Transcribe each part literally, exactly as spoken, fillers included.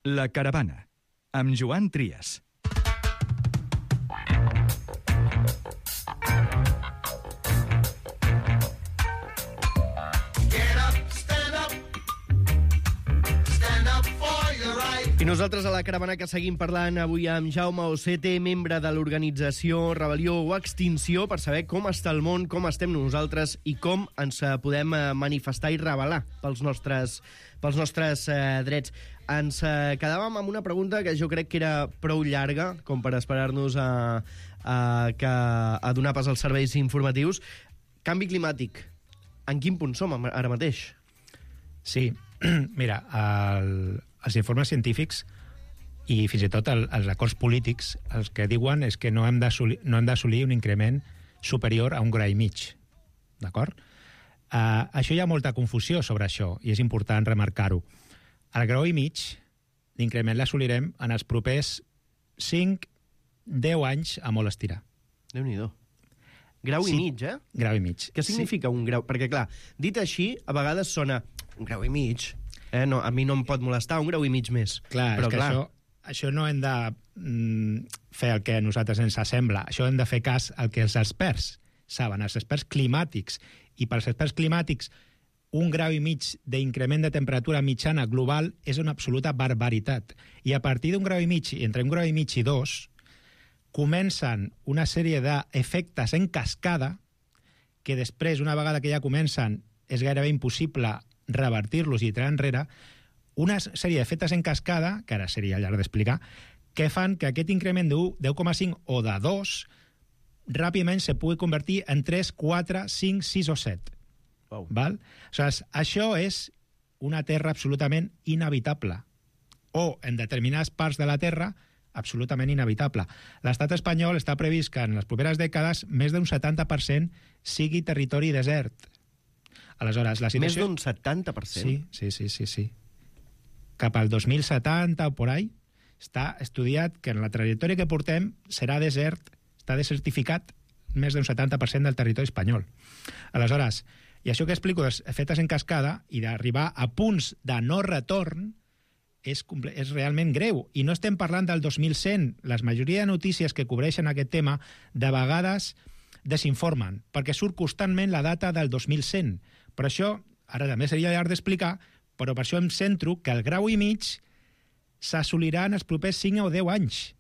La Caravana, amb Joan Trias. I nosaltres a La Caravana que seguim parlant avui amb Jaume Ocete, membre de l'organització Rebel·lió o Extinció, per saber com està el món, com estem nosaltres i com ens podem manifestar i rebel·lar pels nostres, pels nostres eh, drets. Ens eh, quedàvem amb una pregunta que jo crec que era prou llarga, com per esperar-nos a, a, que, a donar pas als serveis informatius. Canvi climàtic. En quin punt som ara mateix? Sí, mira, el... els informes científics i fins i tot el, els acords polítics els que diuen és que no hem d'assolir no hem d'assolir un increment superior a un gra i mig, d'acord? Uh, això hi ha molta confusió sobre això i és important remarcar-ho. El grau i mig d'increment l'assolirem en els propers cinc a deu anys a molt estirar. Déu-n'hi-do. Grau sí. i mig, eh? Grau i mig. Què significa sí. un grau? Perquè, clar, dit així, a vegades sona un grau i mig... Eh, no, a mi no em pot molestar un grau i mig més. Clar, però és que clar. Això, això no hem de mm, fer el que a nosaltres ens sembla. Això hem de fer cas al que els experts saben, els experts climàtics. I pels experts climàtics, un grau i mig d'increment de temperatura mitjana global és una absoluta barbaritat. I a partir d'un grau i mig, entre un grau i mig i dos, comencen una sèrie d'efectes en cascada que després, una vegada que ja comencen, és gairebé impossible revertir-los i tirar enrere, una sèrie d'efectes en cascada, que ara seria llarg d'explicar, que fan que aquest increment de deu coma cinc o de dos ràpidament se pugui convertir en tres, quatre, cinc, sis o set. Wow. Val? Aleshores, això és una terra absolutament inhabitable. O, en determinades parts de la terra, absolutament inhabitable. L'estat espanyol està previst que en les properes dècades més d'un setanta per cent sigui territori desert. Aleshores, la situació... Més d'un setanta per cent? Sí, sí, sí, sí, sí. Cap al dos mil setanta o por ahí, està estudiat que en la trajectòria que portem serà desert, està desertificat més d'un setanta per cent del territori espanyol. Aleshores, i això que explico dels efectes en cascada i d'arribar a punts de no retorn és, és realment greu. I no estem parlant del dos mil cent. La majoria de notícies que cobreixen aquest tema de vegades desinformen, perquè surt constantment la data del dos mil cent. Per això, ara també seria llarg d'explicar, però per això em centro que el grau i mig s'assolirà en els propers cinc o deu anys.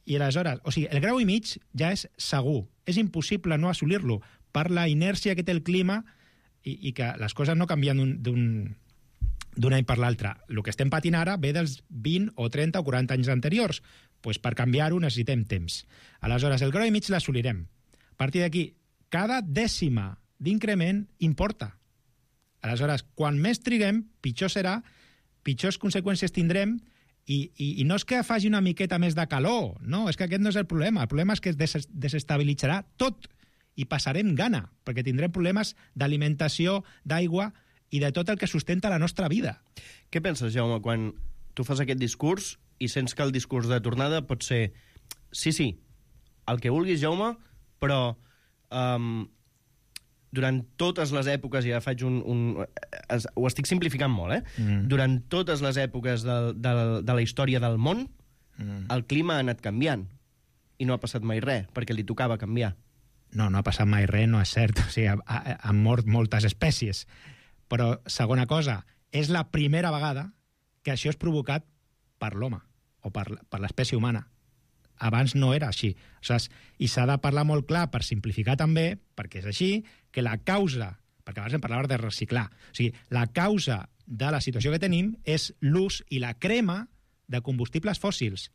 I aleshores, o sigui, el grau i mig ja és segur. És impossible no assolir-lo per la inèrcia que té el clima i, i que les coses no canvien d'un d'un any per l'altre. El que estem patint ara ve dels vint o trenta o quaranta anys anteriors. Pues per canviar-ho necessitem temps. Aleshores, el grau i mig l'assolirem. A partir d'aquí, cada dècima d'increment importa. Aleshores, quan més triguem, pitjor serà, pitjors conseqüències tindrem, i, i, i no és que faci una miqueta més de calor, no, és que aquest no és el problema. El problema és que es des desestabilitzarà tot i passarem gana, perquè tindrem problemes d'alimentació, d'aigua i de tot el que sustenta la nostra vida. Què penses, Jaume, quan tu fas aquest discurs i sents que el discurs de tornada pot ser sí, sí, el que vulguis, Jaume, però um, durant totes les èpoques, i ja faig un... un es, ho estic simplificant molt, eh? Mm. Durant totes les èpoques de, de, de la història del món, mm. el clima ha anat canviant i no ha passat mai res, perquè li tocava canviar. No, no ha passat mai res, no és cert. O sigui, ha, ha, han mort moltes espècies. Però, segona cosa, és la primera vegada que això és provocat per l'home o per, per l'espècie humana. Abans no era així. O sigui, i s'ha de parlar molt clar, per simplificar també, perquè és així, que la causa, perquè abans em parlava de reciclar, o sigui, la causa de la situació que tenim és l'ús i la crema de combustibles fòssils.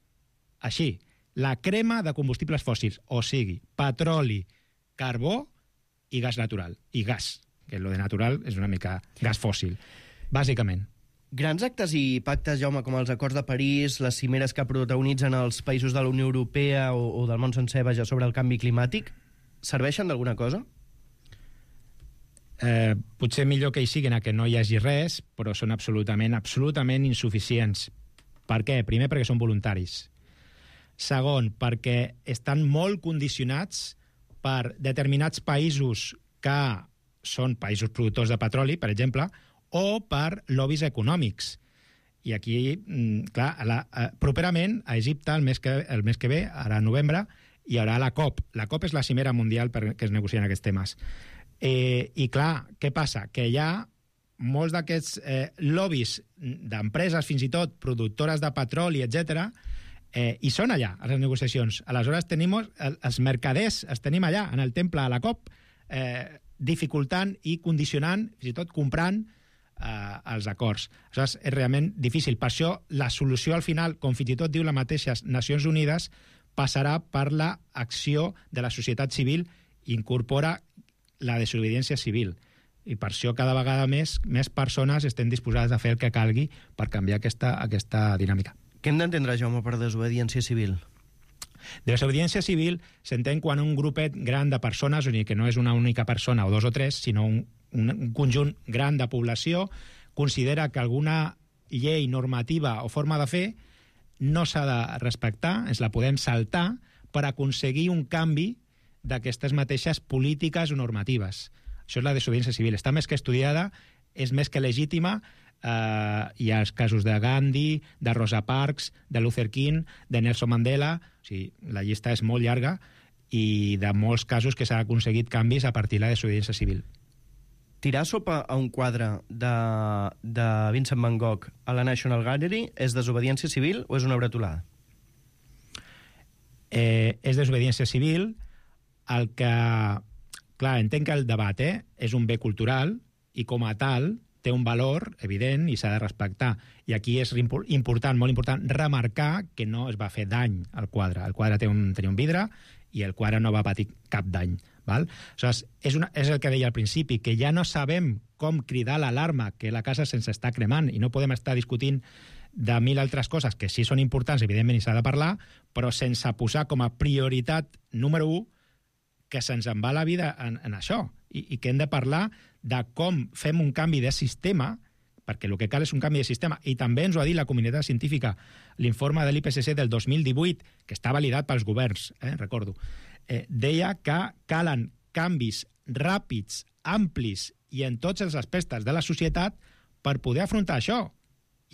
Així, la crema de combustibles fòssils, o sigui, petroli, carbó i gas natural. I gas, que lo de natural és una mica gas fòssil, bàsicament. Grans actes i pactes, Jaume, com els acords de París, les cimeres que protagonitzen els països de la Unió Europea o, o del món sencer, vaja, sobre el canvi climàtic, serveixen d'alguna cosa? Eh, potser millor que hi siguin a que no hi hagi res, però són absolutament, absolutament insuficients. Per què? Primer, perquè són voluntaris. Segon, perquè estan molt condicionats per determinats països que són països productors de petroli, per exemple, o per lobbies econòmics. I aquí, clar, la, properament a Egipte, el mes, que, el mes que ve, ara a novembre, hi haurà la COP. La COP és la cimera mundial per que es negocien aquests temes. Eh, I clar, què passa? Que hi ha molts d'aquests eh, lobbies d'empreses, fins i tot productores de petroli, etcètera, eh, i són allà, a les negociacions. Aleshores, tenim els mercaders, els tenim allà, en el temple a la COP, eh, dificultant i condicionant, fins i tot comprant eh, els acords. Aleshores, és realment difícil. Per això, la solució al final, com fins i tot diu la mateixa Nacions Unides, passarà per l'acció de la societat civil i incorpora la desobediència civil. I per això cada vegada més més persones estem disposades a fer el que calgui per canviar aquesta, aquesta dinàmica. Què hem d'entendre, Jaume, per desobediència civil? Desobediència civil s'entén quan un grupet gran de persones, o sigui que no és una única persona o dos o tres, sinó un, un conjunt gran de població, considera que alguna llei, normativa o forma de fer no s'ha de respectar, ens la podem saltar per aconseguir un canvi d'aquestes mateixes polítiques o normatives. Això és la desobediència civil. Està més que estudiada, és més que legítima. Eh, hi ha els casos de Gandhi, de Rosa Parks, de Luther King, de Nelson Mandela. O sigui, la llista és molt llarga i de molts casos que s'han aconseguit canvis a partir de la desobediència civil. Tirar sopa a un quadre de, de Vincent Van Gogh a la National Gallery és desobediència civil o és una bretolada? Eh, és desobediència civil. El que... Clar, entenc que el debat eh, és un bé cultural i com a tal té un valor evident i s'ha de respectar. I aquí és important, molt important, remarcar que no es va fer dany al quadre. El quadre té un, tenia un vidre i el quadre no va patir cap dany. Val? Aleshores, és, una, és el que deia al principi, que ja no sabem com cridar l'alarma, que la casa se'ns està cremant i no podem estar discutint de mil altres coses que sí són importants, evidentment, i s'ha de parlar, però sense posar com a prioritat número u que se'ns en va la vida en, en això i, i que hem de parlar de com fem un canvi de sistema, perquè el que cal és un canvi de sistema, i també ens ho ha dit la comunitat científica, l'informe de l'I P C C del dos mil divuit, que està validat pels governs, eh, recordo, eh, deia que calen canvis ràpids, amplis i en tots els aspectes de la societat per poder afrontar això.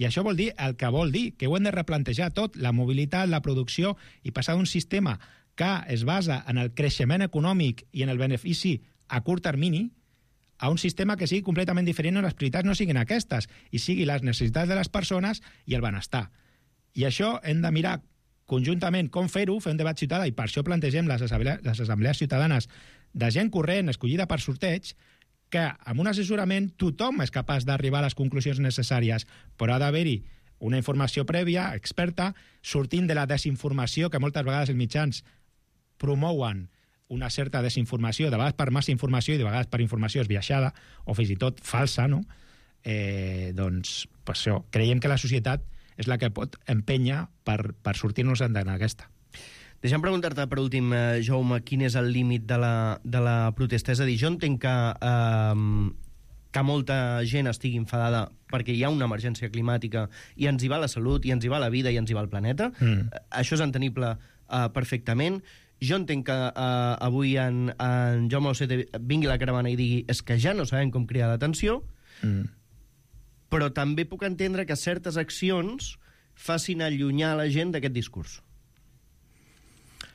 I això vol dir el que vol dir, que ho hem de replantejar tot, la mobilitat, la producció, i passar d'un sistema que es basa en el creixement econòmic i en el benefici a curt termini a un sistema que sigui completament diferent on les prioritats no siguin aquestes i sigui les necessitats de les persones i el benestar. I això hem de mirar conjuntament com fer-ho, fer un debat ciutadà, i per això plantegem les assemblees, les assemblees ciutadanes de gent corrent, escollida per sorteig, que amb un assessorament tothom és capaç d'arribar a les conclusions necessàries, però ha d'haver-hi una informació prèvia, experta, sortint de la desinformació que moltes vegades els mitjans promouen una certa desinformació, de vegades per massa informació i de vegades per informació esbiaixada o fins i tot falsa, no? Eh, doncs, per això, creiem que la societat és la que pot empènyer per, per sortir-nos en aquesta. Deixa'm preguntar-te per últim, eh, Jaume, quin és el límit de la, de la protesta? És a dir, jo entenc que, eh, que molta gent estigui enfadada perquè hi ha una emergència climàtica i ens hi va la salut, i ens hi va la vida, i ens hi va el planeta. Mm. Això és entenible eh, perfectament. Jo entenc que uh, avui en, en Jaume Osete vingui a la caravana i digui és que ja no sabem com cridar l'atenció, mm. però també puc entendre que certes accions facin allunyar la gent d'aquest discurs.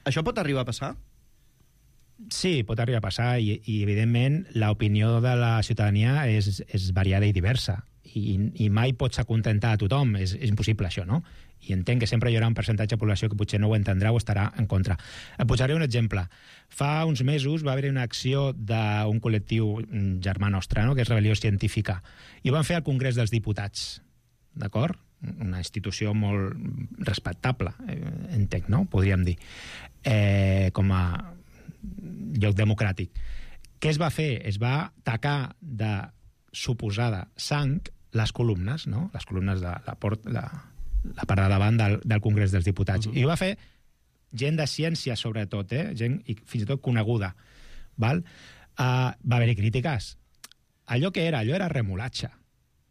Això pot arribar a passar? Sí, pot arribar a passar i, i evidentment, l'opinió de la ciutadania és, és variada i diversa i, i mai pots acontentar a tothom. És, és impossible, això, no? I entenc que sempre hi haurà un percentatge de població que potser no ho entendrà o estarà en contra. Et posaré un exemple. Fa uns mesos va haver una acció d'un col·lectiu germà nostre, no?, que és Rebel·lió Científica, i ho van fer al Congrés dels Diputats, d'acord? Una institució molt respectable, eh, entenc, no?, podríem dir, eh, com a lloc democràtic. Què es va fer? Es va tacar de suposada sang les columnes, no?, les columnes de la porta... La, la part de davant del, del Congrés dels Diputats. Uh -huh. I ho va fer gent de ciència, sobretot, eh? Gent i fins i tot coneguda. Val? Uh, va haver-hi crítiques. Allò que era, allò era remolatge.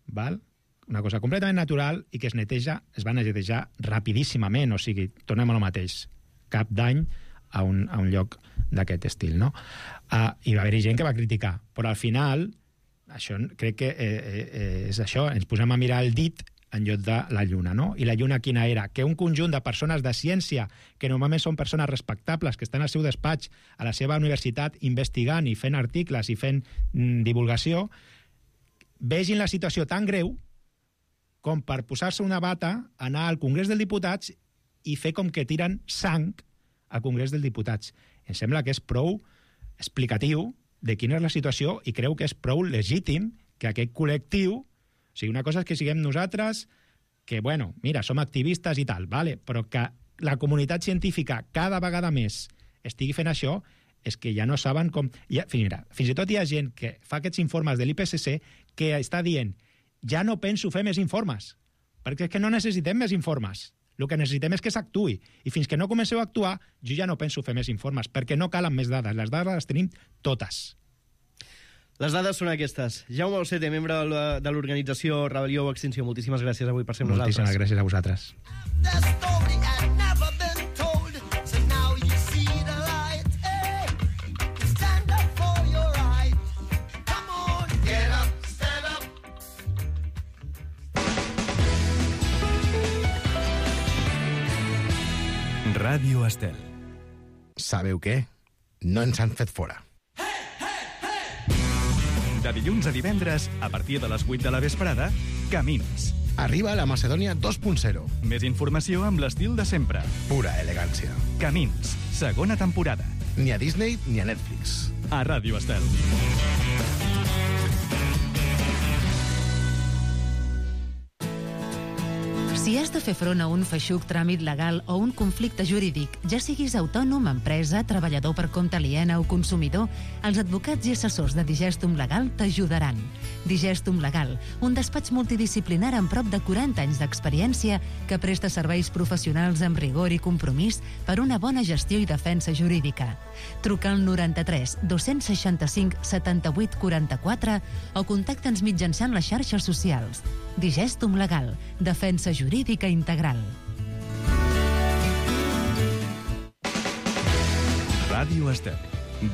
Val? Una cosa completament natural i que es neteja, es va netejar rapidíssimament, o sigui, tornem a lo mateix. Cap dany a un, a un lloc d'aquest estil, no? Uh, I va haver-hi gent que va criticar, però al final, això crec que eh, eh, és això, ens posem a mirar el dit en lloc de la Lluna, no? I la Lluna quina era? Que un conjunt de persones de ciència, que normalment són persones respectables, que estan al seu despatx, a la seva universitat, investigant i fent articles i fent mm, divulgació, vegin la situació tan greu com per posar-se una bata, anar al Congrés dels Diputats i fer com que tiren sang al Congrés dels Diputats. Em sembla que és prou explicatiu de quina és la situació i creu que és prou legítim que aquest col·lectiu... O sigui, una cosa és que siguem nosaltres, que, bueno, mira, som activistes i tal, vale? Però que la comunitat científica cada vegada més estigui fent això, és que ja no saben com... Ja, mira, fins i tot hi ha gent que fa aquests informes de l'I P C C que està dient ja no penso fer més informes, perquè és que no necessitem més informes. El que necessitem és que s'actuï. I fins que no comenceu a actuar, jo ja no penso fer més informes, perquè no calen més dades. Les dades les tenim totes. Les dades són aquestes. Jaume Osete, membre de l'organització Rebel·lió o Extinció, moltíssimes gràcies avui per ser amb nosaltres. Moltíssimes gràcies a vosaltres. Ràdio Estel. Sabeu què? No ens han fet fora. De dilluns a divendres, a partir de les vuit de la vesprada, Camins. Arriba la Macedònia dos punt zero. Més informació amb l'estil de sempre. Pura elegància. Camins, segona temporada. Ni a Disney ni a Netflix. A Ràdio Estel. Si has de fer front a un feixuc tràmit legal o un conflicte jurídic, ja siguis autònom, empresa, treballador per compte aliena o consumidor, els advocats i assessors de Digestum Legal t'ajudaran. Digestum Legal, un despatx multidisciplinar amb prop de quaranta anys d'experiència que presta serveis professionals amb rigor i compromís per una bona gestió i defensa jurídica. Truca al noranta-tres dos-cents seixanta-cinc setanta-vuit quaranta-quatre o contacta'ns mitjançant les xarxes socials. Digestum Legal, defensa jurídica integral. Ràdio Estel.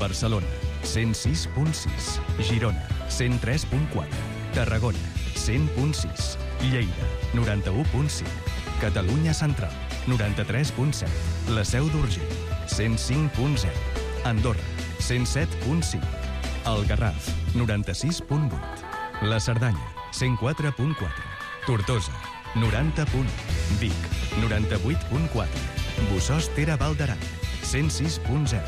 Barcelona, cent sis punt sis. Girona, cent tres punt quatre. Tarragona, cent punt sis. Lleida, noranta-u punt cinc. Catalunya Central, noranta-tres punt set. La Seu d'Urgell, cent cinc punt zero. Andorra, cent set punt cinc. El Garraf, noranta-sis punt vuit. La Cerdanya, cent quatre punt quatre. Tortosa, noranta punt u. Vic, noranta-vuit punt quatre. Bossòst Tere Val d'Aran, cent sis punt zero.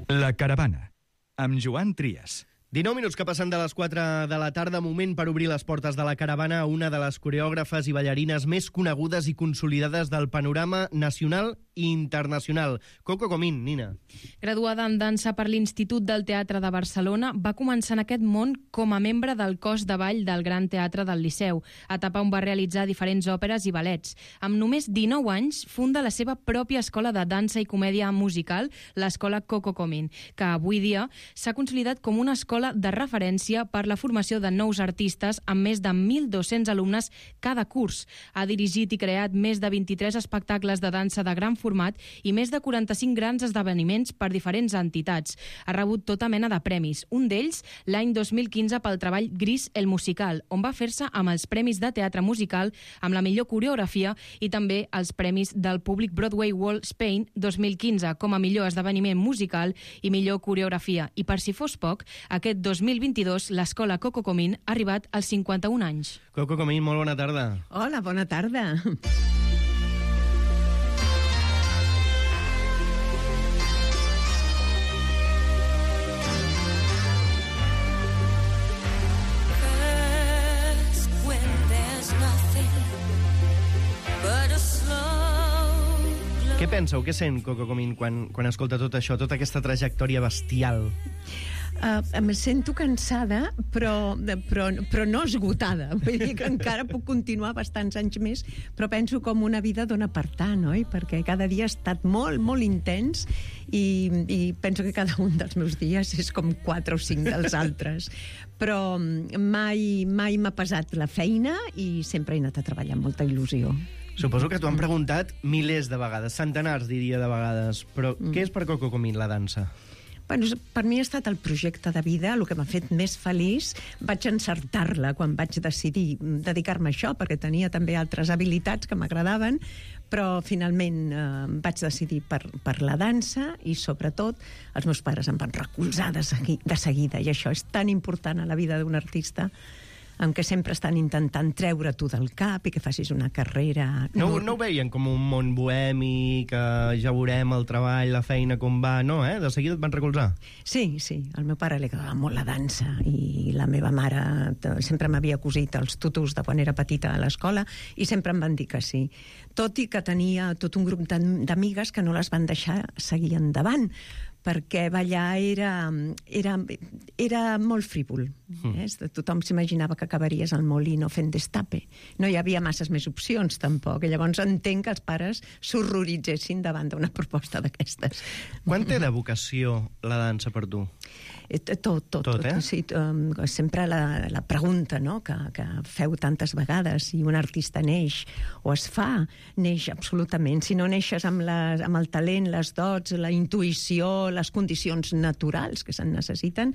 La Caravana, amb Joan Trias. dinou minuts que passen de les quatre de la tarda, moment per obrir les portes de la Caravana a una de les coreògrafes i ballarines més conegudes i consolidades del panorama nacional i internacional. Coco Comín, Nina. Graduada en dansa per l'Institut del Teatre de Barcelona, va començar en aquest món com a membre del cos de ball del Gran Teatre del Liceu, etapa on va realitzar diferents òperes i ballets. Amb només dinou anys, funda la seva pròpia escola de dansa i comèdia musical, l'escola Coco Comín, que avui dia s'ha consolidat com una escola de referència per la formació de nous artistes amb més de mil dos-cents alumnes cada curs. Ha dirigit i creat més de vint-i-tres espectacles de dansa de gran format i més de quaranta-cinc grans esdeveniments per diferents entitats. Ha rebut tota mena de premis, un d'ells l'any dos mil quinze pel treball Gris el musical, on va fer-se amb els Premis de Teatre Musical amb la millor coreografia i també els Premis del Public Broadway World Spain dos mil quinze com a millor esdeveniment musical i millor coreografia. I per si fos poc, aquest dos mil vint-i-dos l'escola Coco Comín ha arribat als cinquanta-un anys. Coco Comín, molt bona tarda. Hola, bona tarda. Què penseu, què sent Coco Comín quan, quan escolta tot això, tota aquesta trajectòria bestial? Uh, em sento cansada, però, però, però no esgotada. Vull dir que encara puc continuar bastants anys més, però penso com una vida dona per tant, oi? Perquè cada dia ha estat molt, molt intens i, i penso que cada un dels meus dies és com quatre o cinc dels altres. Però mai, mai m'ha pesat la feina i sempre he anat a treballar amb molta il·lusió. Suposo que t'ho han preguntat milers de vegades, centenars, diria, de vegades. Però mm. què és per Coco Comín la dansa? Bueno, per mi ha estat el projecte de vida, el que m'ha fet més feliç. Vaig encertar-la quan vaig decidir dedicar-me a això, perquè tenia també altres habilitats que m'agradaven, però finalment eh, vaig decidir per, per la dansa i, sobretot, els meus pares em van recolzar de, segui, de seguida, i això és tan important a la vida d'un artista, en què sempre estan intentant treure tu del cap i que facis una carrera... No, no ho veien com un món bohemi, que ja veurem el treball, la feina, com va, no, eh? De seguida et van recolzar. Sí, sí, al meu pare li agradava molt la dansa i la meva mare sempre m'havia cosit els tutus de quan era petita a l'escola i sempre em van dir que sí. Tot i que tenia tot un grup d'amigues que no les van deixar seguir endavant, perquè ballar era, era, era molt frívol. Mm. Eh? Tothom s'imaginava que acabaries al Molino fent destape. No hi havia masses més opcions, tampoc. I llavors entenc que els pares s'horroritzessin davant d'una proposta d'aquestes. Quan té de vocació la dansa per tu? Tot, tot. Tot, eh? Sí, sempre la, la pregunta, no?, que, que feu tantes vegades, si un artista neix o es fa, neix absolutament. Si no neixes amb, la, amb el talent, les dots, la intuïció, les condicions naturals que se'n necessiten,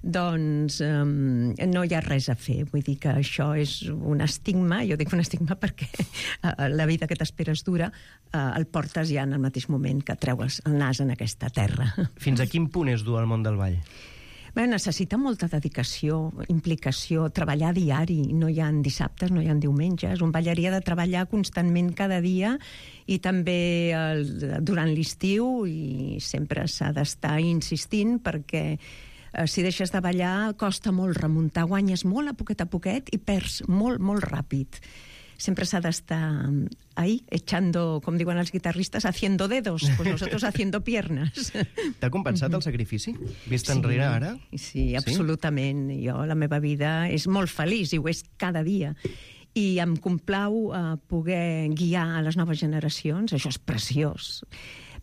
doncs um, no hi ha res a fer. Vull dir que això és un estigma, jo dic un estigma perquè uh, la vida que t'esperes dura, uh, el portes ja en el mateix moment que treues el nas en aquesta terra. Fins a quin punt és dur al món del ball? Bé, necessita molta dedicació, implicació, treballar diari. No hi ha dissabtes, no hi ha diumenges. Un ballarí ha de treballar constantment cada dia i també el, durant l'estiu, i sempre s'ha d'estar insistint perquè eh, si deixes de ballar costa molt remuntar. Guanyes molt a poquet a poquet i perds molt, molt ràpid. Sempre s'ha d'estar ahí, echando, com diuen els guitarristes, haciendo dedos, pues nosotros haciendo piernas. T'ha compensat el sacrifici? Vist enrere sí, ara? Sí, absolutament. Sí? Jo, la meva vida és molt feliç, i ho és cada dia. I em complau uh, poder guiar a les noves generacions, això és preciós.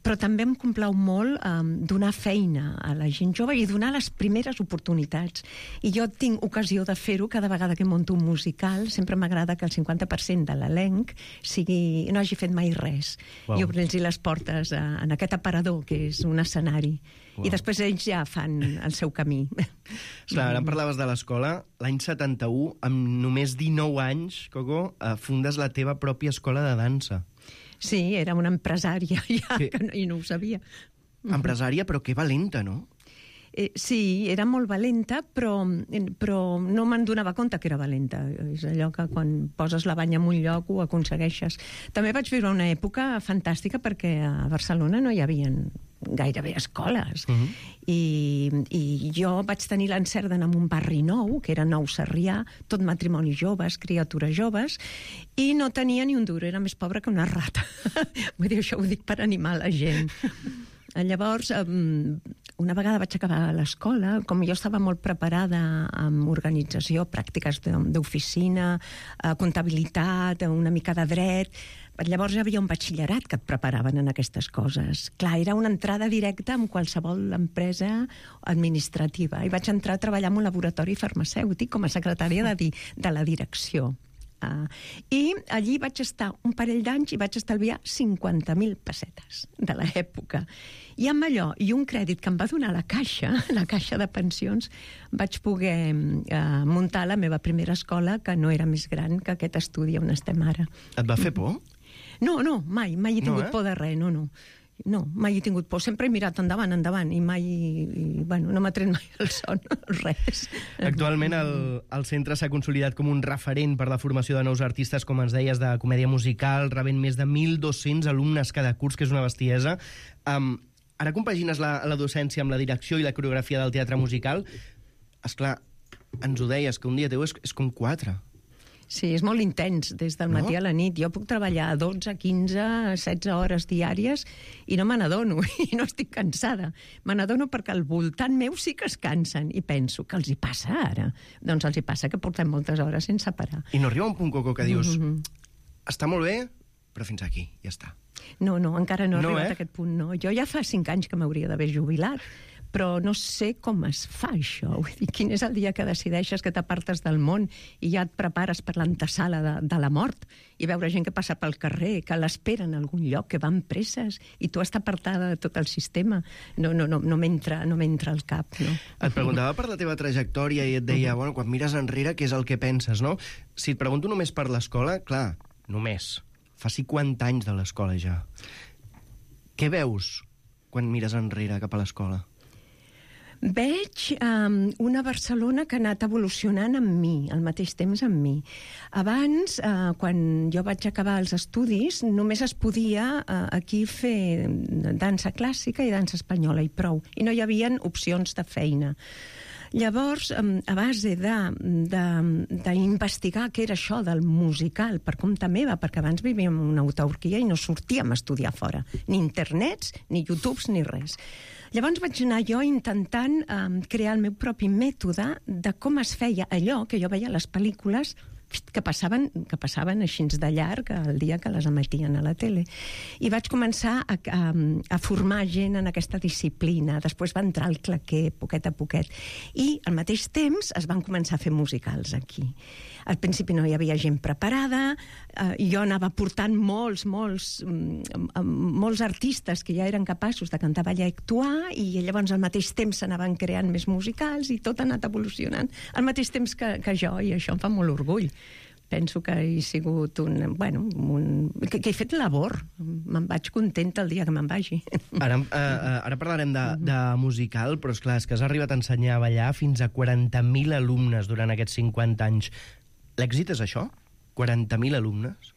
Però també em complau molt um, donar feina a la gent jove i donar les primeres oportunitats. I jo tinc ocasió de fer-ho cada vegada que monto un musical. Sempre m'agrada que el cinquanta per cent de l'elenc sigui, no hagi fet mai res. Wow. I obrir-los les portes a, en aquest aparador, que és un escenari. Wow. I després ells ja fan el seu camí. Clar, ara em parlaves de l'escola. L'any setanta-u, amb només dinou anys, Coco, eh, fundes la teva pròpia escola de dansa. Sí, era una empresària ja, que... que no, i no ho sabia. Empresària, però que valenta, no? Eh, sí, era molt valenta, però, però no me'n donava compte que era valenta. És allò que quan poses la banya en un lloc ho aconsegueixes. També vaig viure una època fantàstica perquè a Barcelona no hi havia gairebé escoles. Uh-huh. I, I jo vaig tenir l'encert d'anar a un barri nou, que era Nou Sarrià, tot matrimoni joves, criatures joves, i no tenia ni un duro, era més pobra que una rata. Vull dir, això ho dic per animar la gent. Llavors, una vegada vaig acabar l'escola, com jo estava molt preparada amb organització, pràctiques d'oficina, comptabilitat, una mica de dret, llavors hi havia un batxillerat que et preparaven en aquestes coses. Clar, era una entrada directa en qualsevol empresa administrativa. I vaig entrar a treballar en un laboratori farmacèutic com a secretària de, di de la direcció. Uh, I allí vaig estar un parell d'anys i vaig estalviar cinquanta mil pessetes de l'època. I amb allò, i un crèdit que em va donar la Caixa, la Caixa de Pensions, vaig poder uh, muntar la meva primera escola, que no era més gran que aquest estudi on estem ara. Et va fer por? No, no, mai, mai he tingut no, eh? por de res, no, no. No, mai he tingut por. Sempre he mirat endavant, endavant, i mai, i, bueno, no m'ha tret mai el son, res. Actualment el, el centre s'ha consolidat com un referent per la formació de nous artistes, com ens deies, de comèdia musical, rebent més de mil dos-cents alumnes cada curs, que és una bestiesa. Um, ara compagines la, la docència amb la direcció i la coreografia del teatre musical. Esclar, ens ho deies, que un dia teu és, és com quatre. Sí, és molt intens, des del matí no? a la nit. Jo puc treballar dotze, quinze, setze hores diàries i no me n'adono, i no estic cansada. Me n'adono perquè al voltant meu sí que es cansen, i penso, que els hi passa ara? Doncs els hi passa que portem moltes hores sense parar. I no arriba un punt, Coco, que dius, Mm-hmm. està molt bé, però fins aquí, ja està. No, no, encara no he No, arribat eh? a aquest punt, no. Jo ja fa cinc anys que m'hauria d'haver jubilat, però no sé com es fa això. Vull dir, quin és el dia que decideixes que t'apartes del món i ja et prepares per l'antesala de, de la mort i veure gent que passa pel carrer, que l'espera en algun lloc, que van presses i tu estàs apartada de tot el sistema. No, no, no, no m'entra no m'entra al cap, no? Et preguntava per la teva trajectòria i et deia, Uh-huh. bueno, quan mires enrere, què és el que penses, no? Si et pregunto només per l'escola, clar, només. Fa cinquanta anys de l'escola ja. Què veus quan mires enrere cap a l'escola? Veig um, una Barcelona que ha anat evolucionant amb mi, al mateix temps amb mi. Abans, uh, quan jo vaig acabar els estudis, només es podia uh, aquí fer dansa clàssica i dansa espanyola i prou, i no hi havia opcions de feina. Llavors, a base d'investigar què era això del musical per compte meva, perquè abans vivíem en una autarquia i no sortíem a estudiar fora, ni internets, ni YouTubes, ni res. Llavors vaig anar jo intentant um, crear el meu propi mètode de com es feia allò que jo veia a les pel·lícules que passaven, que passaven així de llarg el dia que les emetien a la tele. I vaig començar a, a, a formar gent en aquesta disciplina. Després va entrar el claquer, poquet a poquet. I al mateix temps es van començar a fer musicals aquí. Al principi no hi havia gent preparada, eh, jo anava portant molts, molts, molts artistes que ja eren capaços de cantar, ballar i actuar, i llavors al mateix temps s'anaven creant més musicals i tot ha anat evolucionant al mateix temps que, que jo, i això em fa molt orgull. Penso que he sigut un... Bueno, un, que, que he fet labor. Me'n vaig contenta el dia que me'n vagi. Ara, uh, ara parlarem de, de musical, però és clar, és que has arribat a ensenyar a ballar fins a quaranta mil alumnes durant aquests cinquanta anys. L'èxit és això? quaranta mil alumnes?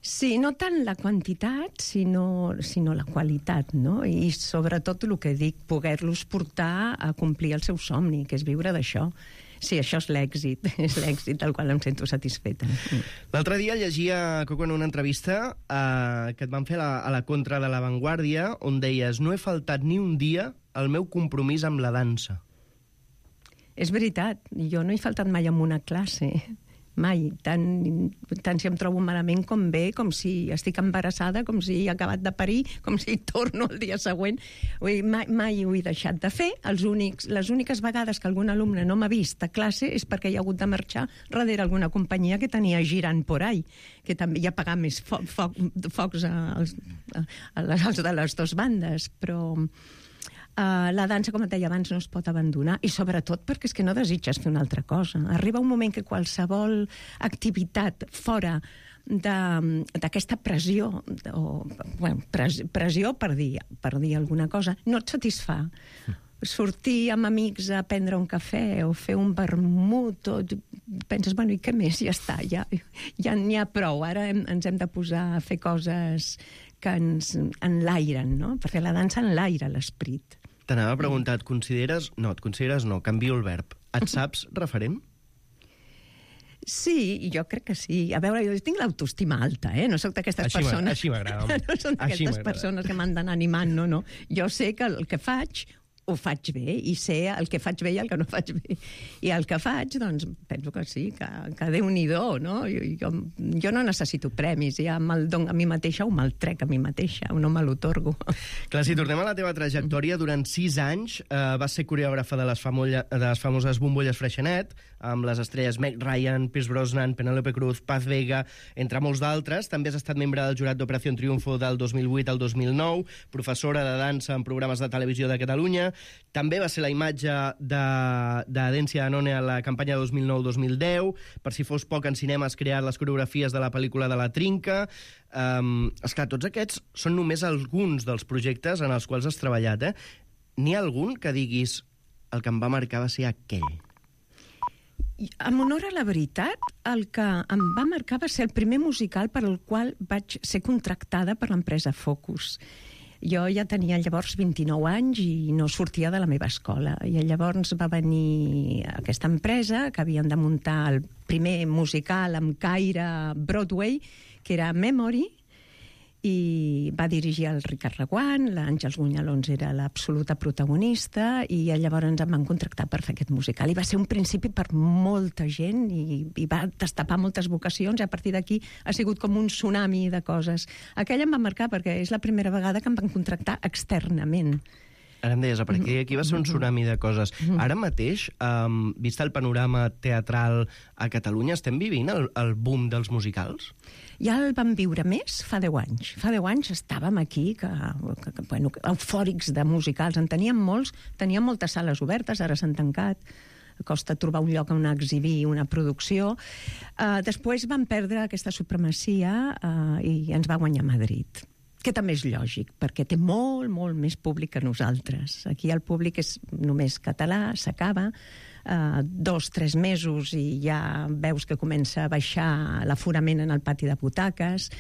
Sí, no tant la quantitat, sinó, sinó la qualitat, no? I sobretot el que dic, poder-los portar a complir el seu somni, que és viure d'això. Sí, això és l'èxit, és l'èxit del qual em sento satisfeta. L'altre dia llegia, Coco, en una entrevista eh, que et van fer a la, a la contra de La Vanguardia, on deies, no he faltat ni un dia al meu compromís amb la dansa. És veritat, jo no he faltat mai en una classe, mai, tant, tant si em trobo malament com bé, com si estic embarassada, com si he acabat de parir, com si torno el dia següent. Ui, mai, mai ho he deixat de fer. Els únics, les úniques vegades que algun alumne no m'ha vist a classe és perquè hi ha hagut de marxar darrere alguna companyia que tenia girant por ahí, que també hi ha pagat més fo fo focs als, a les, als de les dues bandes, però... Uh, la dansa, com et deia abans, no es pot abandonar, i sobretot perquè és que no desitges fer una altra cosa. Arriba un moment que qualsevol activitat fora d'aquesta pressió, o, bueno, pres, pressió per dir, per dir alguna cosa, no et satisfà. Sortir amb amics a prendre un cafè o fer un vermut, o penses, bueno, i què més? Ja està, ja ja n'hi ha prou. Ara hem, ens hem de posar a fer coses que ens enlairen, no? Perquè la dansa enlaira l'esperit. T'anava a preguntar, et consideres... No, et consideres no, canvio el verb. Et saps referent? Sí, jo crec que sí. A veure, jo tinc l'autoestima alta, eh? No soc d'aquestes així persones... Així m'agrada. No són d'aquestes persones que m'han d'anar animant, no, no. Jo sé que el que faig ho faig bé, i sé el que faig bé i el que no faig bé. I el que faig, doncs, penso que sí, que, que Déu-n'hi-do, no? Jo, jo, jo no necessito premis, ja me'l dono a mi mateixa o me'l trec a mi mateixa, o no me l'otorgo. Clar, si tornem a la teva trajectòria, durant sis anys eh, vas ser coreògrafa de les, famolla, de les famoses bombolles Freixenet, amb les estrelles Meg Ryan, Pierce Brosnan, Penélope Cruz, Paz Vega, entre molts d'altres. També has estat membre del jurat d'Operació Triunfo del dos mil vuit al dos mil nou, professora de dansa en programes de televisió de Catalunya. També va ser la imatge de, de Dència Danone a la campanya dos mil nou dos mil deu. Per si fos poc, en cinema has creat les coreografies de la pel·lícula de La Trinca. Um, esclar, tots aquests són només alguns dels projectes en els quals has treballat, eh? N'hi ha algun que diguis el que em va marcar va ser aquell? En honor a la veritat, el que em va marcar va ser el primer musical per al qual vaig ser contractada per l'empresa Focus. Jo ja tenia llavors vint-i-nou anys i no sortia de la meva escola. I llavors va venir aquesta empresa que havien de muntar el primer musical amb caire Broadway, que era Memory, i va dirigir el Ricard Reguant, l'Àngels Gunyalons era l'absoluta protagonista, i llavors em van contractar per fer aquest musical. I va ser un principi per molta gent, i, i va destapar moltes vocacions, i a partir d'aquí ha sigut com un tsunami de coses. Aquella em va marcar perquè és la primera vegada que em van contractar externament. Ara em deies, a partir d'aquí va ser un tsunami de coses. Ara mateix, um, vist el panorama teatral a Catalunya, estem vivint el, el boom dels musicals? Ja el vam viure més fa deu anys. Fa deu anys estàvem aquí, que, que, que, bueno, eufòrics de musicals. En teníem molts, teníem moltes sales obertes, ara s'han tancat. Costa trobar un lloc on exhibir una producció. Uh, després vam perdre aquesta supremacia uh, i ens va guanyar Madrid, que també és lògic, perquè té molt, molt més públic que nosaltres. Aquí el públic és només català, s'acaba, Uh, dos, tres mesos i ja veus que comença a baixar l'aforament en el pati de butaques,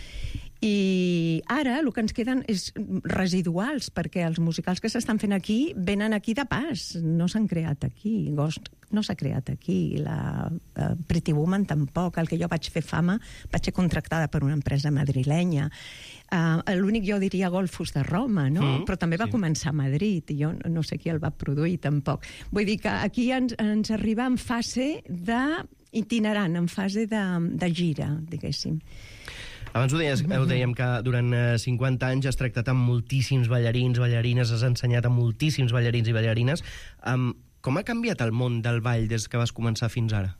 i ara el que ens queden és residuals, perquè els musicals que s'estan fent aquí venen aquí de pas, no s'han creat aquí. Ghost no s'ha creat aquí, la uh, Pretty Woman tampoc. El que jo vaig fer Fama vaig ser contractada per una empresa madrilenya. Uh, l'únic jo diria Golfos de Roma, no? Mm, però també va sí. començar a Madrid, i jo no sé qui el va produir tampoc. Vull dir que aquí ens, ens arriba en fase de itinerant, en fase de, de gira, diguéssim. Abans ho, deies, ho dèiem que durant cinquanta anys has tractat amb moltíssims ballarins, ballarines, has ensenyat a moltíssims ballarins i ballarines. Um, com ha canviat el món del ball des que vas començar fins ara?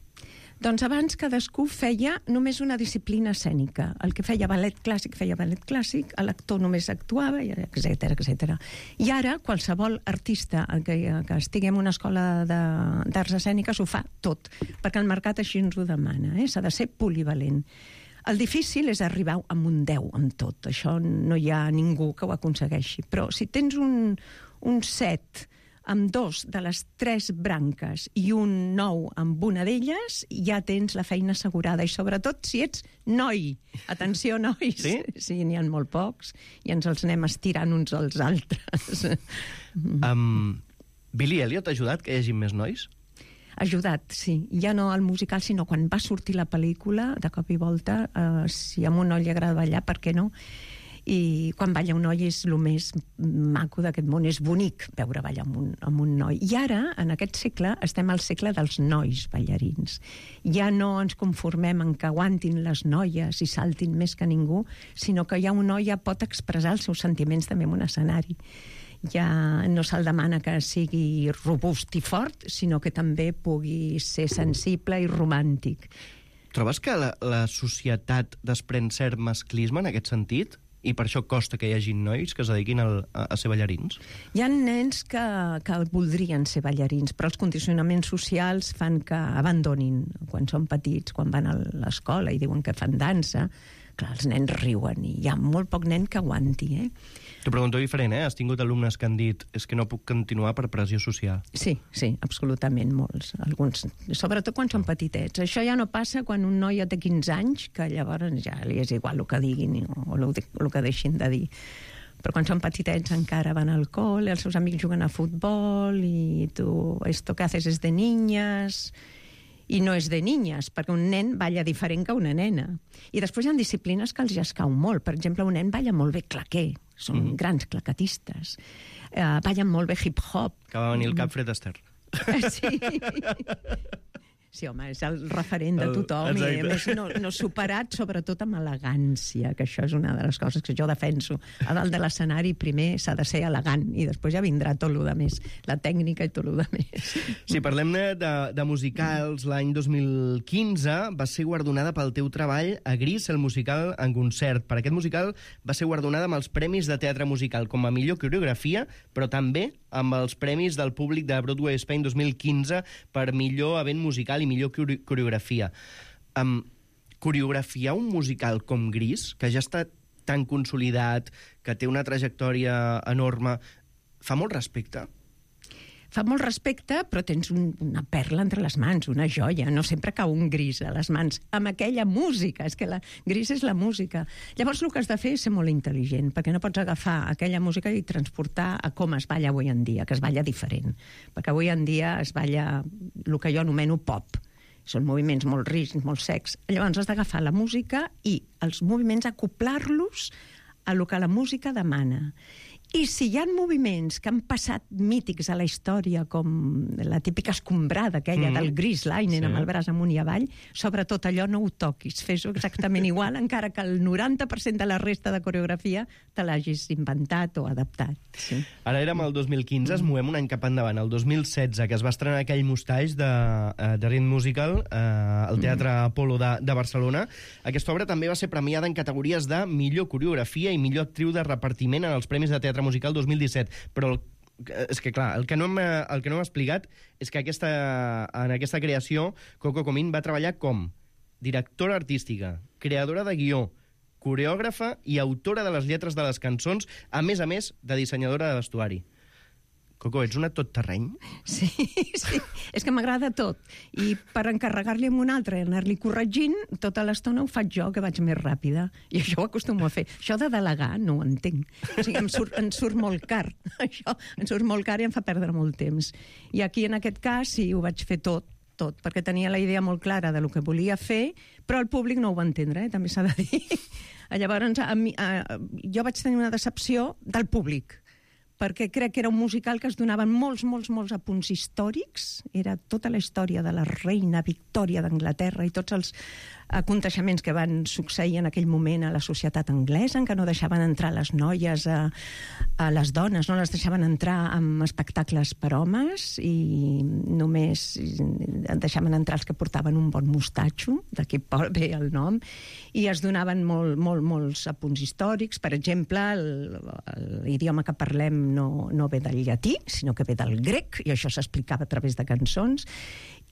Doncs abans cadascú feia només una disciplina escènica. El que feia ballet clàssic feia ballet clàssic, l'actor només actuava, etcètera, etcètera. I ara qualsevol artista que, que estigui en una escola d'arts escèniques ho fa tot, perquè el mercat així ens ho demana, eh? S'ha de ser polivalent. El difícil és arribar amb un deu amb tot. Això no hi ha ningú que ho aconsegueixi. Però si tens un, un set amb dos de les tres branques i un nou amb una d'elles, ja tens la feina assegurada. I sobretot si ets noi. Atenció, nois. Sí? Sí, n'hi ha molt pocs i ens els anem estirant uns als altres. Um, Billy Elliot ha ajudat que hi hagi més nois? Ajudat, sí. Ja no al musical, sinó quan va sortir la pel·lícula, de cop i volta, eh, si a un noi li agrada ballar, per què no? I quan balla un noi és el més maco d'aquest món, és bonic veure ballar amb un, amb un noi. I ara, en aquest segle, estem al segle dels nois ballarins. Ja no ens conformem en que aguantin les noies i saltin més que ningú, sinó que ja un noi ja pot expressar els seus sentiments també en un escenari. Ja no se'l demana que sigui robust i fort, sinó que també pugui ser sensible i romàntic. Trobes que la, la societat desprèn cert masclisme en aquest sentit? I per això costa que hi hagi nois que es dediquin al, a, a ser ballarins? Hi ha nens que, que voldrien ser ballarins, però els condicionaments socials fan que abandonin quan són petits, quan van a l'escola i diuen que fan dansa. Clar, els nens riuen i hi ha molt poc nen que aguanti, eh? T'ho pregunto diferent, eh? Has tingut alumnes que han dit és que no puc continuar per pressió social. Sí, sí, absolutament, molts. Alguns, sobretot quan són petitets. Això ja no passa quan un noi ja té quinze anys, que llavors ja li és igual el que diguin o el, el que deixin de dir. Però quan són petitets encara van al col, els seus amics juguen a futbol i tu, esto que haces es de niñas... I no és de niñas, perquè un nen balla diferent que una nena. I després hi ha disciplines que els ja escau molt. Per exemple, un nen balla molt bé claqué, són mm. grans claquetistes. Uh, ballen molt bé hip-hop. Que va venir el cap Fred Astaire. Sí. Sí, home, és el referent de tothom. El, i, a més, no, no superat, sobretot amb elegància, que això és una de les coses que jo defenso. A dalt de l'escenari, primer s'ha de ser elegant, i després ja vindrà tot el més, la tècnica i tot el més. Si parlem de, de musicals, l'any dos mil quinze va ser guardonada pel teu treball a Gris, el musical en concert. Per aquest musical va ser guardonada amb els Premis de Teatre Musical com a millor coreografia, però també amb els Premis del públic de Broadway Spain dos mil quinze per millor event musical i millor coreografia. Um, coreografiar un musical com Gris, que ja està tan consolidat, que té una trajectòria enorme, fa molt respecte? Fa molt respecte, però tens un, una perla entre les mans, una joia. No sempre cau un Gris a les mans, amb aquella música. És que la Gris és la música. Llavors el que has de fer és ser molt intel·ligent, perquè no pots agafar aquella música i transportar a com es balla avui en dia, que es balla diferent. Perquè avui en dia es balla el que jo anomeno pop. Són moviments molt rics, molt secs. Llavors has d'agafar la música i els moviments acoplar-los a lo que la música demana. I si hi ha moviments que han passat mítics a la història, com la típica escombrada aquella mm. del Gris Linen sí. amb el braç amunt i avall, sobretot allò no ho toquis, fes-ho exactament igual, encara que el noranta per cent de la resta de coreografia te l'hagis inventat o adaptat. Sí. Ara érem el dos mil quinze, es movem un any cap endavant, el dos mil setze, que es va estrenar aquell Mustache de, de Rhythm Musical eh, al Teatre mm. Apolo de, de Barcelona. Aquesta obra també va ser premiada en categories de millor coreografia i millor actriu de repartiment en els Premis de Teatre Musical dos mil disset, però el, és que clar, el que no hem, el que no hem explicat és que aquesta, en aquesta creació Coco Comín va treballar com directora artística, creadora de guió, coreògrafa i autora de les lletres de les cançons, a més a més de dissenyadora de vestuari. Coco, ets una tot terreny? Sí, sí. És que m'agrada tot. I per encarregar-li amb un altre i anar-li corregint, tota l'estona ho faig jo, que vaig més ràpida. I això ho acostumo a fer. Això de delegar no ho entenc. O sigui, em surt, em surt molt car. Això em surt molt car i em fa perdre molt temps. I aquí, en aquest cas, sí, ho vaig fer tot, tot, perquè tenia la idea molt clara de lo que volia fer, però el públic no ho va entendre, eh? També s'ha de dir. Llavors, a mi, a, jo vaig tenir una decepció del públic, perquè crec que era un musical que es donaven molts, molts, molts apunts històrics. Era tota la història de la reina Victòria d'Anglaterra i tots els aconteixements que van succeir en aquell moment a la societat anglesa, en què no deixaven entrar les noies, a, a les dones, no les deixaven entrar amb espectacles per homes i només deixaven entrar els que portaven un bon mostatxo, d'aquí ve el nom, i es donaven molt, molt, molts apunts històrics. Per exemple, l'idioma que parlem no, no ve del llatí, sinó que ve del grec, i això s'explicava a través de cançons.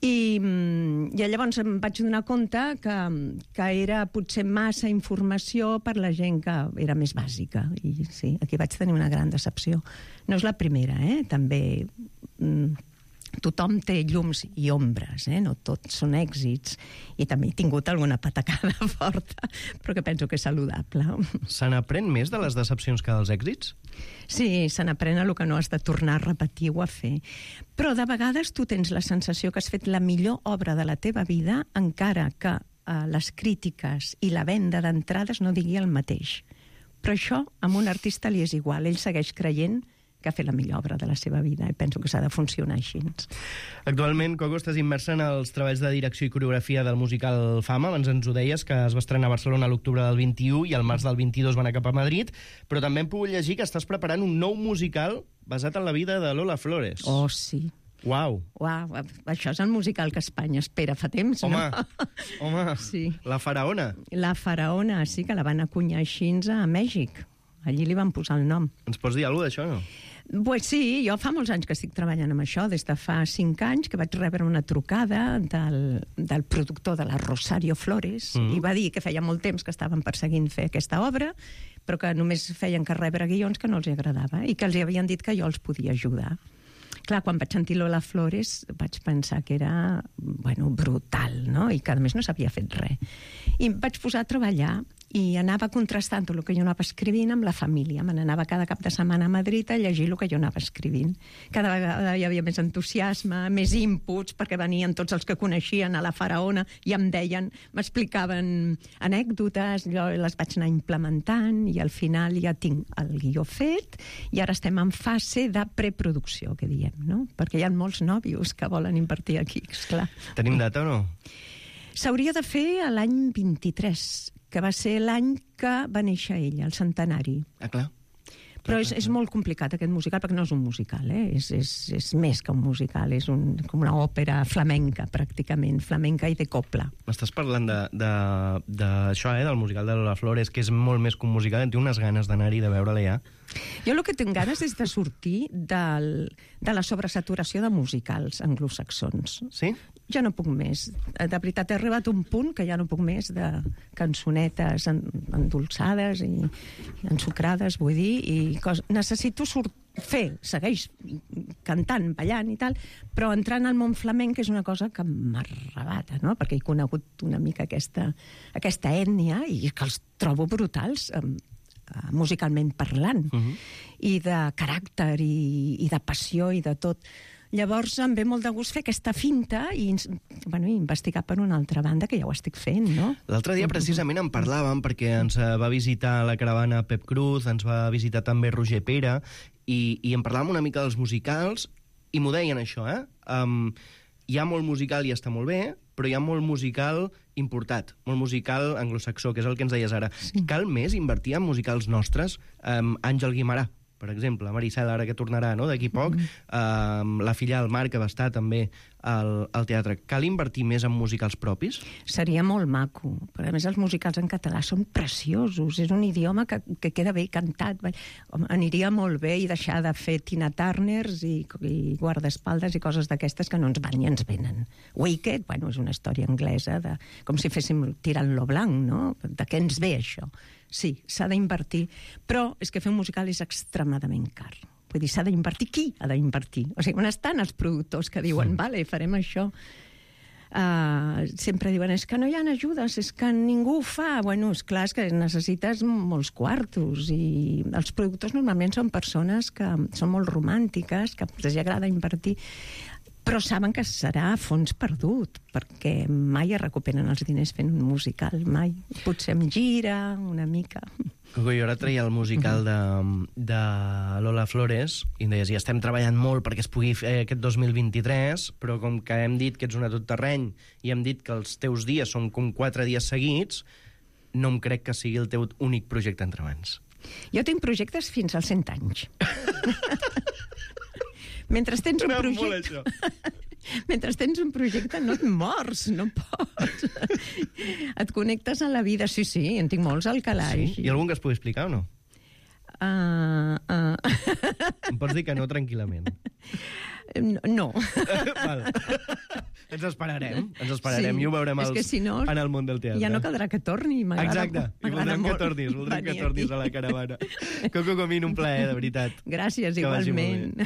I, i llavors em vaig donar compte que, que era potser massa informació per la gent que era més bàsica. I sí, aquí vaig tenir una gran decepció. No és la primera, eh? També mm, tothom té llums i ombres, eh? No tots són èxits. I també he tingut alguna patacada forta, però que penso que és saludable. Se n'aprèn més de les decepcions que dels èxits? Sí, se n'aprèn el que no has de tornar a repetir o a fer. Però de vegades tu tens la sensació que has fet la millor obra de la teva vida, encara que eh, les crítiques i la venda d'entrades no digui el mateix. Però això a un artista li és igual. Ell segueix creient que ha fet la millor obra de la seva vida, i penso que s'ha de funcionar així. Actualment, Coco, estàs immersa en els treballs de direcció i coreografia del musical Fama. Abans ens ho deies, que es va estrenar a Barcelona a l'octubre del vint-i-u i al març del vint-i-dos va anar cap a Madrid, però també hem pogut llegir que estàs preparant un nou musical basat en la vida de Lola Flores. Oh, sí. Uau. Uau, això és el musical que Espanya espera fa temps, home, no? Home, sí. La faraona. La faraona, sí, que la van acunyar així a Mèxic. Allí li van posar el nom. Ens pots dir alguna cosa d'això, no? Pues sí, jo fa molts anys que estic treballant amb això, des de fa cinc anys que vaig rebre una trucada del, del productor de la Rosario Flores, mm. i va dir que feia molt temps que estaven perseguint fer aquesta obra, però que només feien que rebre guions que no els agradava i que els havien dit que jo els podia ajudar. Clar, quan vaig sentir Lola Flores vaig pensar que era, bueno, brutal, no? I que a més no s'havia fet res. I em vaig posar a treballar i anava contrastant tot el que jo anava escrivint amb la família. Me n'anava cada cap de setmana a Madrid a llegir el que jo anava escrivint. Cada vegada hi havia més entusiasme, més inputs, perquè venien tots els que coneixien a la faraona i em deien, m'explicaven anècdotes, jo les vaig anar implementant i al final ja tinc el guió fet i ara estem en fase de preproducció, que diem, no? Perquè hi ha molts nòvios que volen invertir aquí, esclar. Tenim data o no? S'hauria de fer l'any vint-i-tres, que va ser l'any que va néixer ella, el centenari. Ah, clar. Però és, és molt complicat aquest musical, perquè no és un musical, eh? és, és, és més que un musical, és un, com una òpera flamenca, pràcticament, flamenca i de copla. M'estàs parlant d'això, eh, del musical de Lola Flores, que és molt més que un musical, en tinc unes ganes d'anar-hi, de veure-la ja. Jo el que tinc ganes és de sortir del, de la sobresaturació de musicals anglosaxons. Sí? Ja no puc més. De veritat, he arribat a un punt que ja no puc més de cançonetes endolçades i ensucrades, vull dir, i cos... necessito sortir, fer, segueix cantant, ballant i tal, però entrant al món flamenc és una cosa que m'arrebata, no? Perquè he conegut una mica aquesta, aquesta ètnia i que els trobo brutals, eh, musicalment parlant, uh-huh. i de caràcter i, i de passió i de tot. Llavors em ve molt de gust fer aquesta finta i, bueno, i investigar per una altra banda, que ja ho estic fent, no? L'altre dia precisament en parlàvem perquè ens va visitar a la caravana Pep Cruz, ens va visitar també Roger Pere, i, i en parlàvem una mica dels musicals, i m'ho deien això, eh? Um, hi ha molt musical i està molt bé, però hi ha molt musical importat, molt musical anglosaxó, que és el que ens deies ara. Sí. Cal més invertir en musicals nostres? Um, Àngel Guimarà, per exemple, Maricel, ara que tornarà, no?, d'aquí poc, mm. um, la filla del Marc, que va estar també al, al teatre. Cal invertir més en musicals propis? Seria molt maco, però a més els musicals en català són preciosos, és un idioma que, que queda bé cantat. Home, aniria molt bé i deixar de fer Tina Turners i, i guardaespaldes i coses d'aquestes que no ens van ni ens venen. Wicked, bueno, és una història anglesa, de, com si féssim tirant lo blanc, no? De què ens ve això? Sí, s'ha d'invertir, però és que fer un musical és extremadament car. Vull dir, s'ha d'invertir. Qui ha d'invertir? O sigui, on estan els productors que diuen, sí, vale, farem això? Uh, sempre diuen, és que no hi ha ajudes, és que ningú ho fa. Bueno, és clar, és que necessites molts quartos, i els productors normalment són persones que són molt romàntiques, que els agrada invertir, però saben que serà a fons perdut, perquè mai es recuperen els diners fent un musical, mai. Potser em gira una mica. Coco, jo ara treia el musical de, de Lola Flores i em deies, ja estem treballant molt perquè es pugui fer aquest dos mil vint-i-tres, però com que hem dit que ets un tot-terreny i hem dit que els teus dies són com quatre dies seguits, no em crec que sigui el teu únic projecte entre mans. Jo tinc projectes fins als cent anys. Mentre tens un projecte... Mentre tens un projecte no et mors, no pots. Et connectes a la vida. Sí, sí, en tinc molts al calaix. Sí? Hi ha algun que es pugui explicar o no? Uh, uh... Em pots dir que no tranquil·lament? No. Val. Ens esperarem, ens esperarem sí, i ho veurem els, si no, en el món del teatre. Ja no caldrà que torni. Exacte, i voldrem que tornis, voldrem que tornis aquí a la caravana. Coco Comín, un plaer, de veritat. Gràcies, que igualment.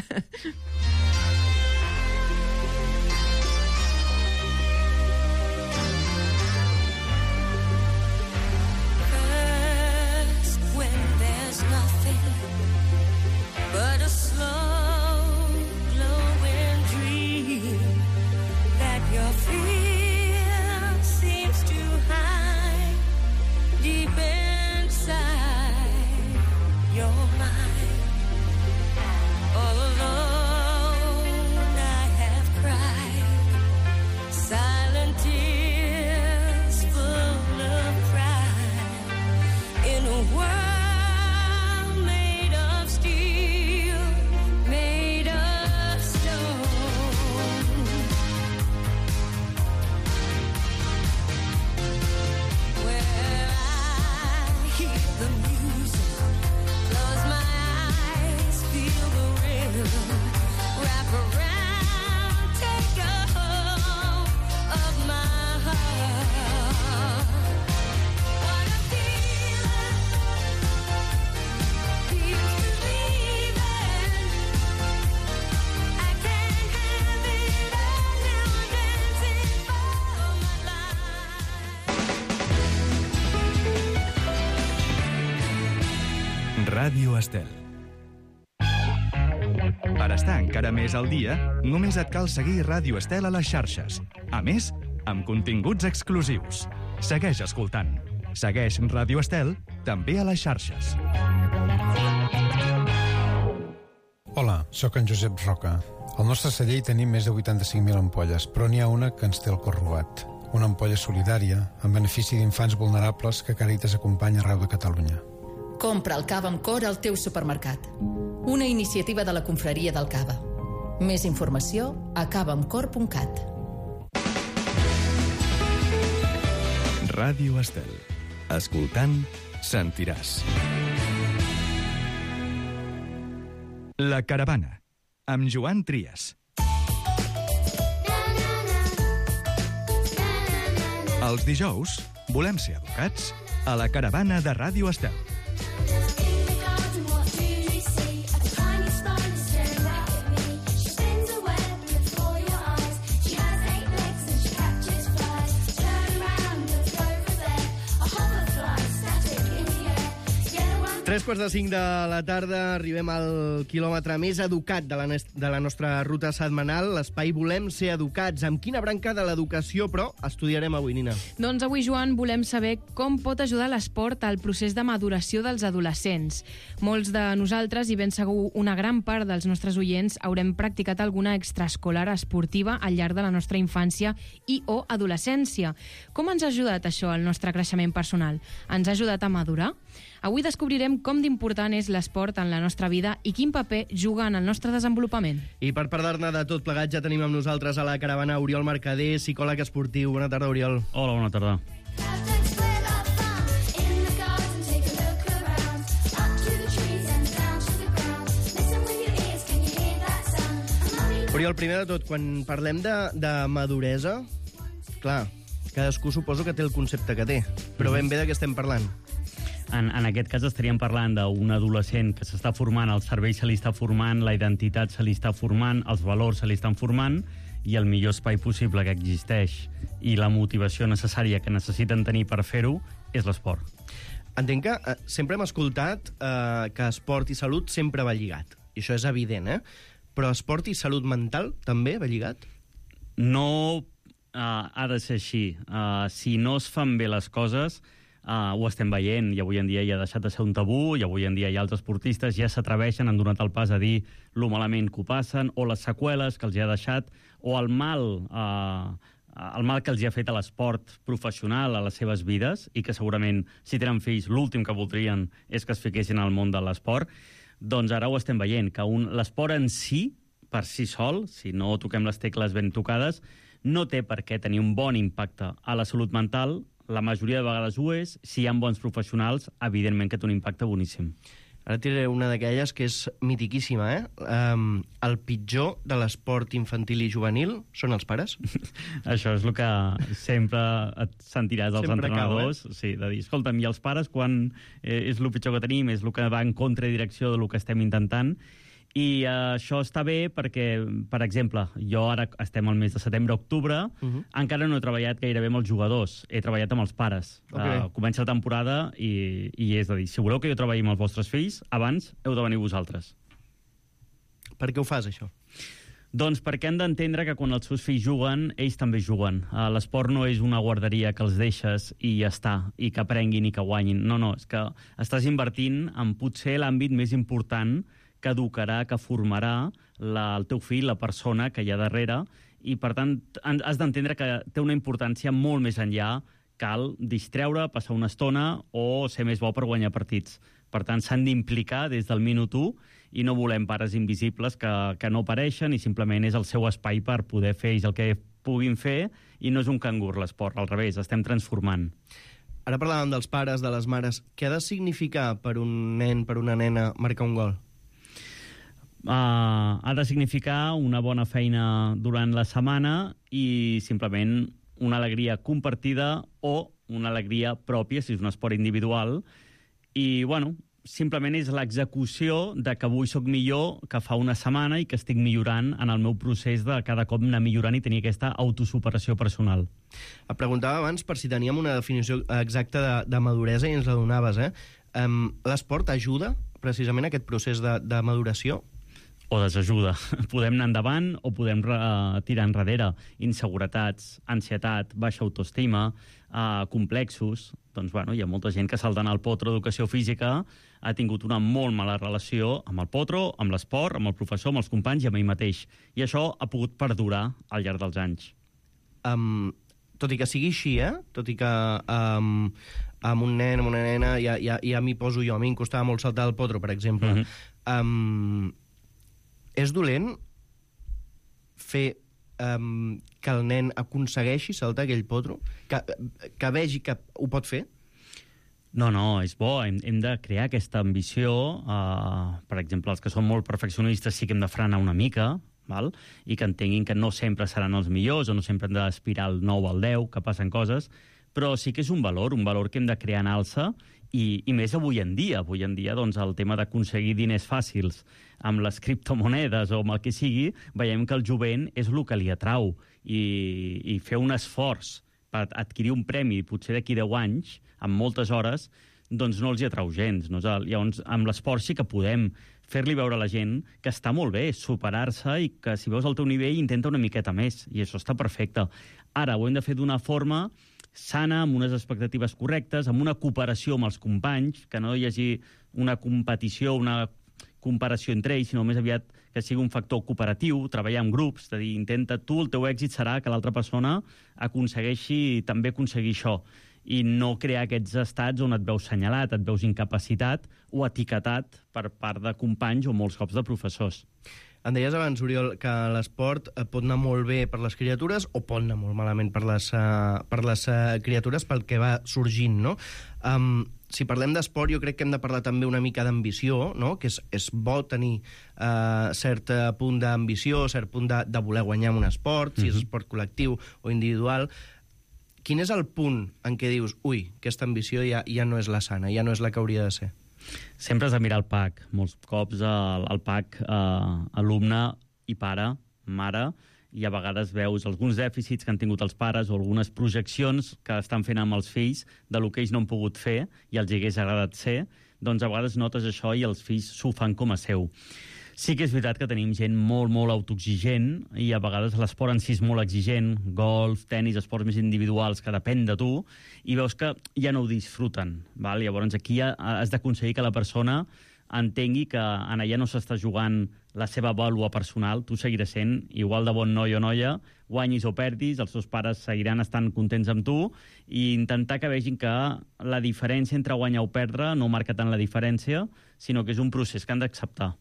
Ràdio Estel. Per estar encara més al dia, només et cal seguir Ràdio Estel a les xarxes. A més, amb continguts exclusius. Segueix escoltant. Segueix Ràdio Estel també a les xarxes. Hola, sóc en Josep Roca. Al nostre celler hi tenim més de vuitanta-cinc mil ampolles, però n'hi ha una que ens té el cor robat. Una ampolla solidària, en benefici d'infants vulnerables que Càritas acompanya arreu de Catalunya. Compra el cava amb cor al teu supermercat. Una iniciativa de la Confraria del Cava. Més informació a cava amb cor punt cat. Ràdio Estel. Escoltant, sentiràs. La caravana, amb Joan Trias. Els dijous volem ser educats a la caravana de Ràdio Estel. Tres quarts de cinc de la tarda, arribem al quilòmetre més educat de la, de la nostra ruta setmanal, l'espai Volem ser educats. Amb quina branca de l'educació, però, estudiarem avui, Nina? Doncs avui, Joan, volem saber com pot ajudar l'esport al procés de maduració dels adolescents. Molts de nosaltres, i ben segur una gran part dels nostres oients, haurem practicat alguna extraescolar esportiva al llarg de la nostra infància i o adolescència. Com ens ha ajudat això al nostre creixement personal? Ens ha ajudat a madurar? Avui descobrirem com d'important és l'esport en la nostra vida i quin paper juga en el nostre desenvolupament. I per parlar-ne de tot plegat ja tenim amb nosaltres a la caravana Oriol Mercader, psicòleg esportiu. Bona tarda, Oriol. Hola, bona tarda. Oriol, primer de tot, quan parlem de, de maduresa, clar, cadascú suposo que té el concepte que té, però ben bé de què estem parlant? En, en aquest cas estaríem parlant d'un adolescent que s'està formant, el cervell se li està formant, la identitat se li està formant, els valors se li estan formant, i el millor espai possible que existeix i la motivació necessària que necessiten tenir per fer-ho és l'esport. Entenc que eh, sempre hem escoltat eh, que esport i salut sempre va lligat. I això és evident, eh? Però esport i salut mental també va lligat? No uh, ha de ser així. Uh, si no es fan bé les coses, uh, ho estem veient, i avui en dia ja ha deixat de ser un tabú, i avui en dia hi ha altres esportistes ja s'atreveixen, han donat el pas a dir lo malament que ho passen, o les seqüeles que els hi ha deixat, o el mal... Uh, el mal que els hi ha fet a l'esport professional a les seves vides, i que segurament, si tenen fills, l'últim que voldrien és que es fiquessin al món de l'esport, doncs ara ho estem veient, que un, l'esport en si, per si sol, si no toquem les tecles ben tocades, no té per què tenir un bon impacte a la salut mental. La majoria de vegades ho és. Si hi ha bons professionals, evidentment que té un impacte boníssim. Ara tiraré una d'aquelles que és mitiquíssima, eh? Um, el pitjor de l'esport infantil i juvenil són els pares? Això és el que sempre et sentiràs dels sempre entrenadors. Cau, eh? Sí, de dir, escolta'm, i els pares, quan eh, és el pitjor que tenim, és el que va en contradirecció del que estem intentant. I uh, això està bé perquè, per exemple, jo ara estem al mes de setembre-octubre, uh -huh. encara no he treballat gairebé amb els jugadors, he treballat amb els pares. Okay. Uh, comença la temporada i, i és a dir, si voleu que jo treballi amb els vostres fills, abans heu de venir vosaltres. Per què ho fas, això? Doncs perquè han d'entendre que quan els seus fills juguen, ells també juguen. Uh, l'esport no és una guarderia que els deixes i ja està, i que aprenguin i que guanyin. No, no, és que estàs invertint en potser l'àmbit més important que educarà, que formarà la, el teu fill, la persona que hi ha darrere, i per tant has d'entendre que té una importància molt més enllà. Cal distreure, passar una estona o ser més bo per guanyar partits. Per tant, s'han d'implicar des del minut u i no volem pares invisibles que, que no apareixen i simplement és el seu espai per poder fer ells el que puguin fer, i no és un cangur l'esport, al revés, estem transformant. Ara parlàvem dels pares, de les mares. Què ha de significar per un nen, per una nena, marcar un gol? Uh, ha de significar una bona feina durant la setmana i simplement una alegria compartida o una alegria pròpia, si és un esport individual. I, bueno, simplement és l'execució de que avui sóc millor que fa una setmana i que estic millorant en el meu procés de cada cop anar millorant i tenir aquesta autosuperació personal. Et preguntava abans per si teníem una definició exacta de, de maduresa i ens la donaves, eh? Um, l'esport ajuda precisament a aquest procés de, de maduració? O desajuda. Podem anar endavant o podem uh, tirar enrere. Inseguretats, ansietat, baixa autoestima, uh, complexos. Doncs, bueno, hi ha molta gent que saltant al potro d'educació física ha tingut una molt mala relació amb el potro, amb l'esport, amb el professor, amb els companys i amb ell mateix. I això ha pogut perdurar al llarg dels anys. Um, tot i que sigui així, eh? Tot i que um, amb un nen, amb una nena, ja, ja, ja m'hi poso jo. A mi em costava molt saltar el potro, per exemple. Mm-hmm. um, És dolent fer um, que el nen aconsegueixi saltar aquell potro? Que, que vegi que ho pot fer? No, no, és bo. Hem, hem de crear aquesta ambició. Uh, per exemple, els que són molt perfeccionistes sí que hem de frenar una mica, val? I que entenguin que no sempre seran els millors o no sempre hem d'aspirar al nou o al deu, que passen coses, però sí que és un valor, un valor que hem de crear en alça. I, i més avui en dia. Avui en dia doncs, el tema d'aconseguir diners fàcils amb les criptomonedes o amb el que sigui, veiem que el jovent és el que li atrau. I, i fer un esforç per adquirir un premi potser d'aquí deu anys, amb moltes hores, doncs no els hi atrau gens. No? Llavors, amb l'esport sí que podem fer-li veure a la gent que està molt bé superar-se i que si veus el teu nivell intenta una miqueta més, i això està perfecte. Ara, ho hem de fer d'una forma sana, amb unes expectatives correctes, amb una cooperació amb els companys, que no hi hagi una competició, una comparació entre ells, sinó més aviat que sigui un factor cooperatiu, treballar en grups, de dir, intenta tu, el teu èxit serà que l'altra persona aconsegueixi també aconseguir això, i no crear aquests estats on et veus senyalat, et veus incapacitat o etiquetat per part de companys o molts cops de professors. Em deies abans, Oriol, que l'esport pot anar molt bé per les criatures o pot anar molt malament per les, uh, per les uh, criatures pel que va sorgint, no? Um, si parlem d'esport, jo crec que hem de parlar també una mica d'ambició, no? Que és, és bo tenir uh, cert punt d'ambició, cert punt de, de voler guanyar en un esport, si és esport col·lectiu o individual. Quin és el punt en què dius, ui, aquesta ambició ja, ja no és la sana, ja no és la que hauria de ser? Sempre has de mirar el P A C. Molts cops el, el P A C, eh, alumne i pare, mare, i a vegades veus alguns dèficits que han tingut els pares o algunes projeccions que estan fent amb els fills de lo que ells no han pogut fer i els hagués agradat ser, doncs a vegades notes això i els fills s'ho fan com a seu. Sí que és veritat que tenim gent molt, molt autoexigent i a vegades l'esport en si és molt exigent, golf, tenis, esports més individuals que depèn de tu, i veus que ja no ho disfruten. Val? Llavors aquí has d'aconseguir que la persona entengui que en allà no s'està jugant la seva vàlua personal, tu seguiràs sent igual de bon noi o noia, guanyis o perdis, els seus pares seguiran estant contents amb tu, i intentar que vegin que la diferència entre guanyar o perdre no marca tant la diferència, sinó que és un procés que han d'acceptar.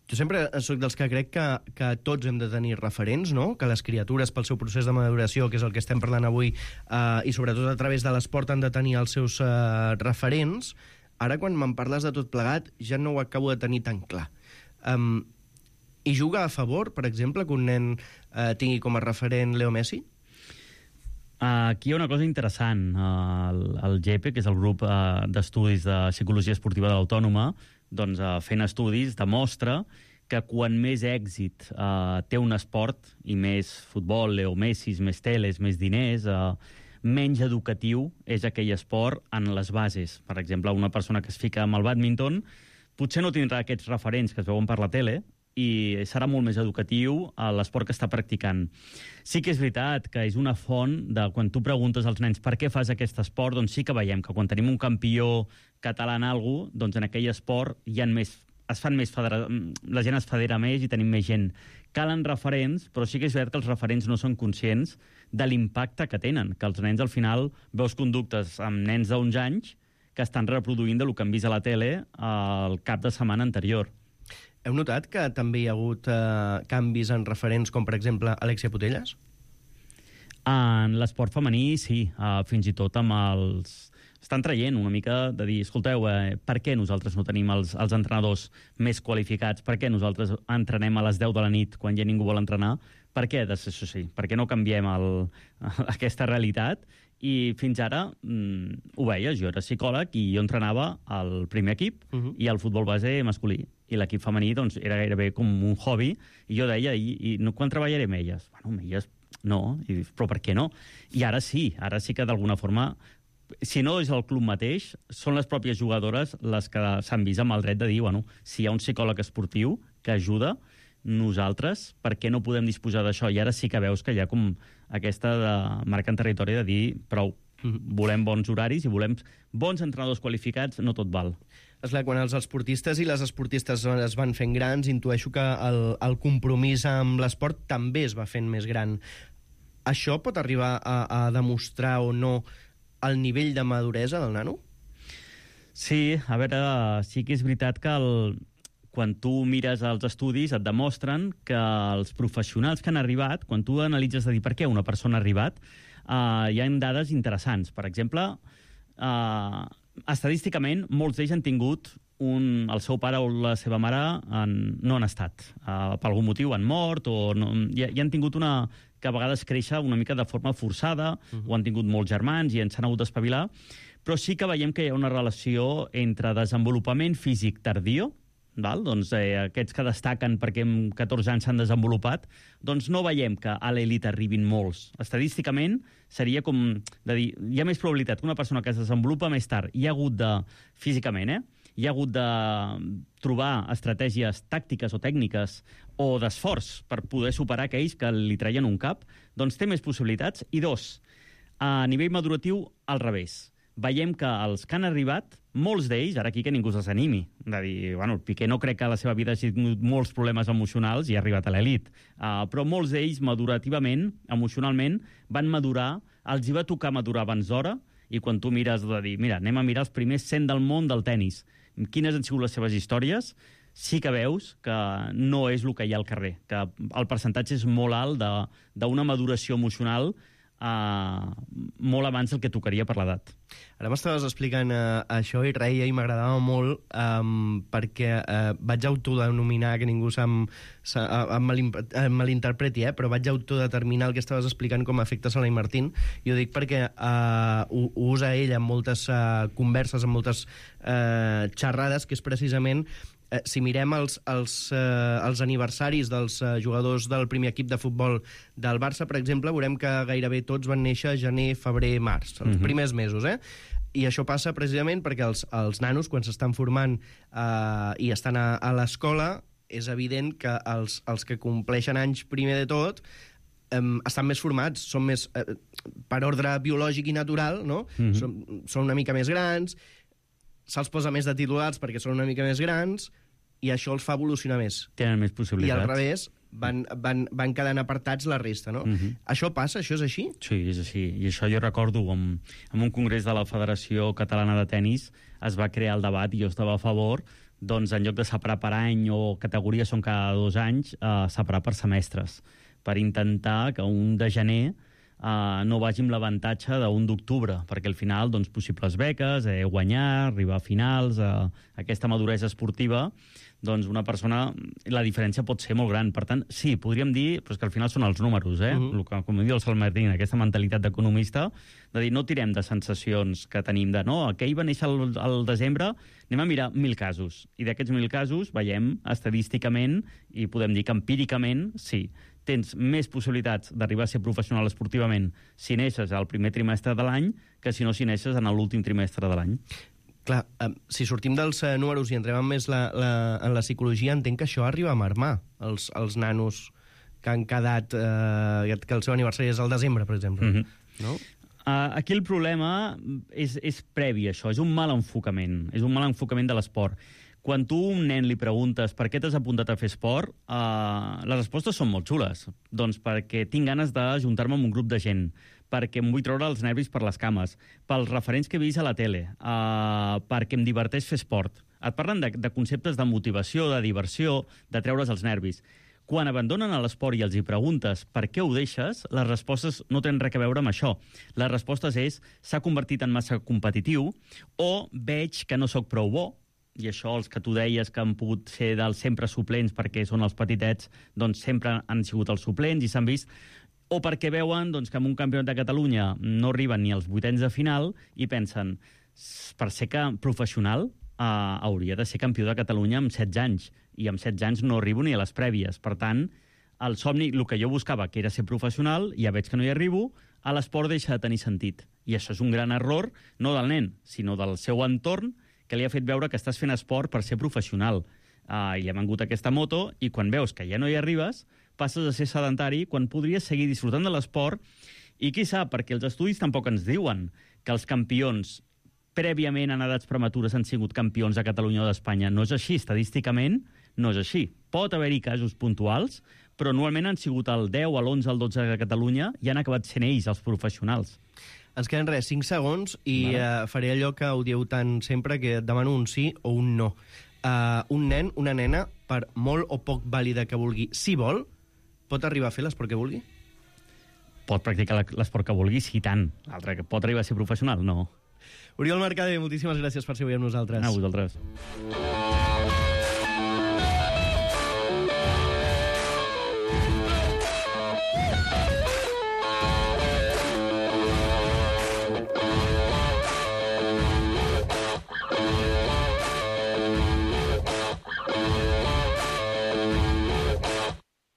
Jo sempre soc dels que crec que, que tots hem de tenir referents, no? Que les criatures, pel seu procés de maduració, que és el que estem parlant avui, eh, i sobretot a través de l'esport han de tenir els seus eh, referents. Ara, quan me'n parles de tot plegat, ja no ho acabo de tenir tan clar. Um, I juga a favor, per exemple, que un nen eh, tingui com a referent Leo Messi? Aquí hi ha una cosa interessant. El, el G E P E, que és el grup uh, d'estudis de psicologia esportiva de l'Autònoma, doncs, uh, fent estudis, demostra que quan més èxit uh, té un esport, i més futbol, Leo Messi, més teles, més diners, uh, menys educatiu és aquell esport en les bases. Per exemple, una persona que es fica amb el bàdminton potser no tindrà aquests referents que es veuen per la tele, i serà molt més educatiu a l'esport que està practicant. Sí que és veritat que és una font de quan tu preguntes als nens per què fas aquest esport, doncs sí que veiem que quan tenim un campió català en alguna cosa, doncs en aquell esport hi ha més, es fan més federa... la gent es federa més i tenim més gent. Calen referents, però sí que és veritat que els referents no són conscients de l'impacte que tenen, que els nens al final veus conductes amb nens d'onze anys que estan reproduint del que han vist a la tele el cap de setmana anterior. Heu notat que també hi ha hagut eh, canvis en referents com, per exemple, Alexia Putellas? En l'esport femení, sí. Uh, fins i tot amb els... Estan traient una mica de dir, escolteu, eh, per què nosaltres no tenim els, els entrenadors més qualificats? Per què nosaltres entrenem a les deu de la nit quan ja ningú vol entrenar? Per què, això sí, per què no canviem el, aquesta realitat? I fins ara mm, ho veies, jo era psicòleg i jo entrenava el primer equip uh -huh. i el futbol base masculí. I l'equip femení doncs, era gairebé com un hobby, i jo deia, i, i no, quan treballaré amb elles? Bueno, amb elles no, i, però per què no? I ara sí, ara sí que d'alguna forma, si no és el club mateix, són les pròpies jugadores les que s'han vist amb el dret de dir, bueno, si hi ha un psicòleg esportiu que ajuda, nosaltres, per què no podem disposar d'això? I ara sí que veus que hi ha com aquesta de marca en territori de dir prou, volem bons horaris i volem bons entrenadors qualificats, no tot val. Esclar, quan els esportistes i les esportistes es van fent grans, intueixo que el, el compromís amb l'esport també es va fent més gran. Això pot arribar a, a demostrar o no el nivell de maduresa del nano? Sí, a veure, sí que és veritat que el, quan tu mires els estudis et demostren que els professionals que han arribat, quan tu analitzes de dir per què una persona ha arribat, uh, hi ha dades interessants. Per exemple, uh, estadísticament, molts d'ells han tingut un, el seu pare o la seva mare en, no han estat. Uh, per algun motiu han mort o no, i, i han tingut una... que a vegades créixer una mica de forma forçada, uh-huh. o han tingut molts germans i ens han hagut d'espavilar, però sí que veiem que hi ha una relació entre desenvolupament físic tardío, val? Doncs eh, aquests que destaquen perquè en catorze anys s'han desenvolupat, doncs no veiem que a l'elit arribin molts. Estadísticament seria com de dir, hi ha més probabilitat que una persona que es desenvolupa més tard hi ha hagut de, físicament, eh? hi ha hagut de trobar estratègies tàctiques o tècniques o d'esforç per poder superar aquells que li treien un cap, doncs té més possibilitats. I dos, a nivell maduratiu, al revés. Veiem que els que han arribat, molts d'ells, ara aquí que ningú se'ls animi, de dir, bueno, el Piqué no crec que a la seva vida hagi tingut molts problemes emocionals i ha arribat a l'elit, uh, però molts d'ells madurativament, emocionalment, van madurar, els hi va tocar madurar abans d'hora, i quan tu mires de dir, mira, anem a mirar els primers cent del món del tennis, quines han sigut les seves històries, sí que veus que no és el que hi ha al carrer, que el percentatge és molt alt d'una maduració emocional uh, molt abans del que tocaria per l'edat. Ara m'estaves explicant uh, això i reia i m'agradava molt um, perquè uh, vaig autodenominar, que ningú se'm, se, uh, em, mal, em malinterpreti, eh, però vaig autodeterminar el que estaves explicant com a efecte Sala i Martín, i ho dic perquè uh, ho, ho usa ell en moltes uh, converses, en moltes uh, xerrades, que és precisament Eh, si mirem els, els, eh, els aniversaris dels eh, jugadors del primer equip de futbol del Barça, per exemple, veurem que gairebé tots van néixer gener, febrer, març, els mm-hmm. primers mesos, eh? I això passa precisament perquè els, els nanos, quan s'estan formant eh, i estan a, a l'escola, és evident que els, els que compleixen anys primer de tot Um, estan més formats, són més uh, per ordre biològic i natural, no? Mm-hmm. Són, són una mica més grans, se'ls posa més de titulars perquè són una mica més grans, i això els fa evolucionar més. Tenen més possibilitats. I al revés, van, van, van quedant apartats la resta, no? Mm-hmm. Això passa? Això és així? Sí, és així. I això jo recordo, en, en un congrés de la Federació Catalana de Tenis es va crear el debat, i jo estava a favor, doncs en lloc de separar per any o categories són cada dos anys, eh, separar per semestres, per intentar que un de gener uh, no vagi amb l'avantatge d'un d'octubre, perquè al final, doncs, possibles beques, eh, guanyar, arribar a finals, uh, aquesta maduresa esportiva, doncs una persona, la diferència pot ser molt gran. Per tant, sí, podríem dir, però és que al final són els números, eh? Uh-huh. El que, com diu el Sal Martín, aquesta mentalitat d'economista, de dir, no tirem de sensacions que tenim de, no, aquell va néixer al, al desembre, anem a mirar mil casos. I d'aquests mil casos veiem estadísticament, i podem dir que empíricament, sí, tens més possibilitats d'arribar a ser professional esportivament si neixes al primer trimestre de l'any que si no si neixes en l'últim trimestre de l'any. Clar, eh, si sortim dels eh, números i entrem més la, la, en la psicologia, entenc que això arriba a marmar els, els nanos que han quedat, eh, que el seu aniversari és al desembre, per exemple. Mm-hmm. No? Uh, aquí el problema és, és previ, això. És un mal enfocament. És un mal enfocament de l'esport. Quan tu a un nen li preguntes per què t'has apuntat a fer esport, uh, les respostes són molt xules. Doncs perquè tinc ganes d'ajuntar-me amb un grup de gent, perquè em vull treure els nervis per les cames, pels referents que he vist a la tele, uh, perquè em diverteix fer esport. Et parlen de, de conceptes de motivació, de diversió, de treure's els nervis. Quan abandonen l'esport i els hi preguntes per què ho deixes, les respostes no tenen res a veure amb això. Les respostes és s'ha convertit en massa competitiu o veig que no sóc prou bo, i això els que tu deies que han pogut ser dels sempre suplents perquè són els petitets, doncs sempre han sigut els suplents i s'han vist, o perquè veuen doncs, que en un campionat de Catalunya no arriben ni als vuitens de final i pensen, per ser que professional eh, hauria de ser campió de Catalunya amb setze anys, i amb setze anys no arribo ni a les prèvies. Per tant, el somni, el que jo buscava, que era ser professional, ja veig que no hi arribo, a l'esport deixa de tenir sentit. I això és un gran error, no del nen, sinó del seu entorn, que li ha fet veure que estàs fent esport per ser professional. Uh, I ha vengut aquesta moto, i quan veus que ja no hi arribes, passes a ser sedentari quan podries seguir disfrutant de l'esport, i qui sap, perquè els estudis tampoc ens diuen que els campions prèviament en edats prematures han sigut campions de Catalunya o d'Espanya. No és així, estadísticament no és així. Pot haver-hi casos puntuals, però normalment han sigut el deu, l'onze, el dotze de Catalunya i han acabat sent ells, els professionals. Ens queden res, cinc segons, i vale. uh, faré allò que ho dieu tant sempre, que et demano un sí o un no. Uh, un nen, una nena, per molt o poc vàlida que vulgui, si vol, pot arribar a fer l'esport que vulgui? Pot practicar l'esport que vulgui, sí, tant. L'altre, que pot arribar a ser professional, no. Oriol Mercader, moltíssimes gràcies per ser avui amb nosaltres. A vosaltres.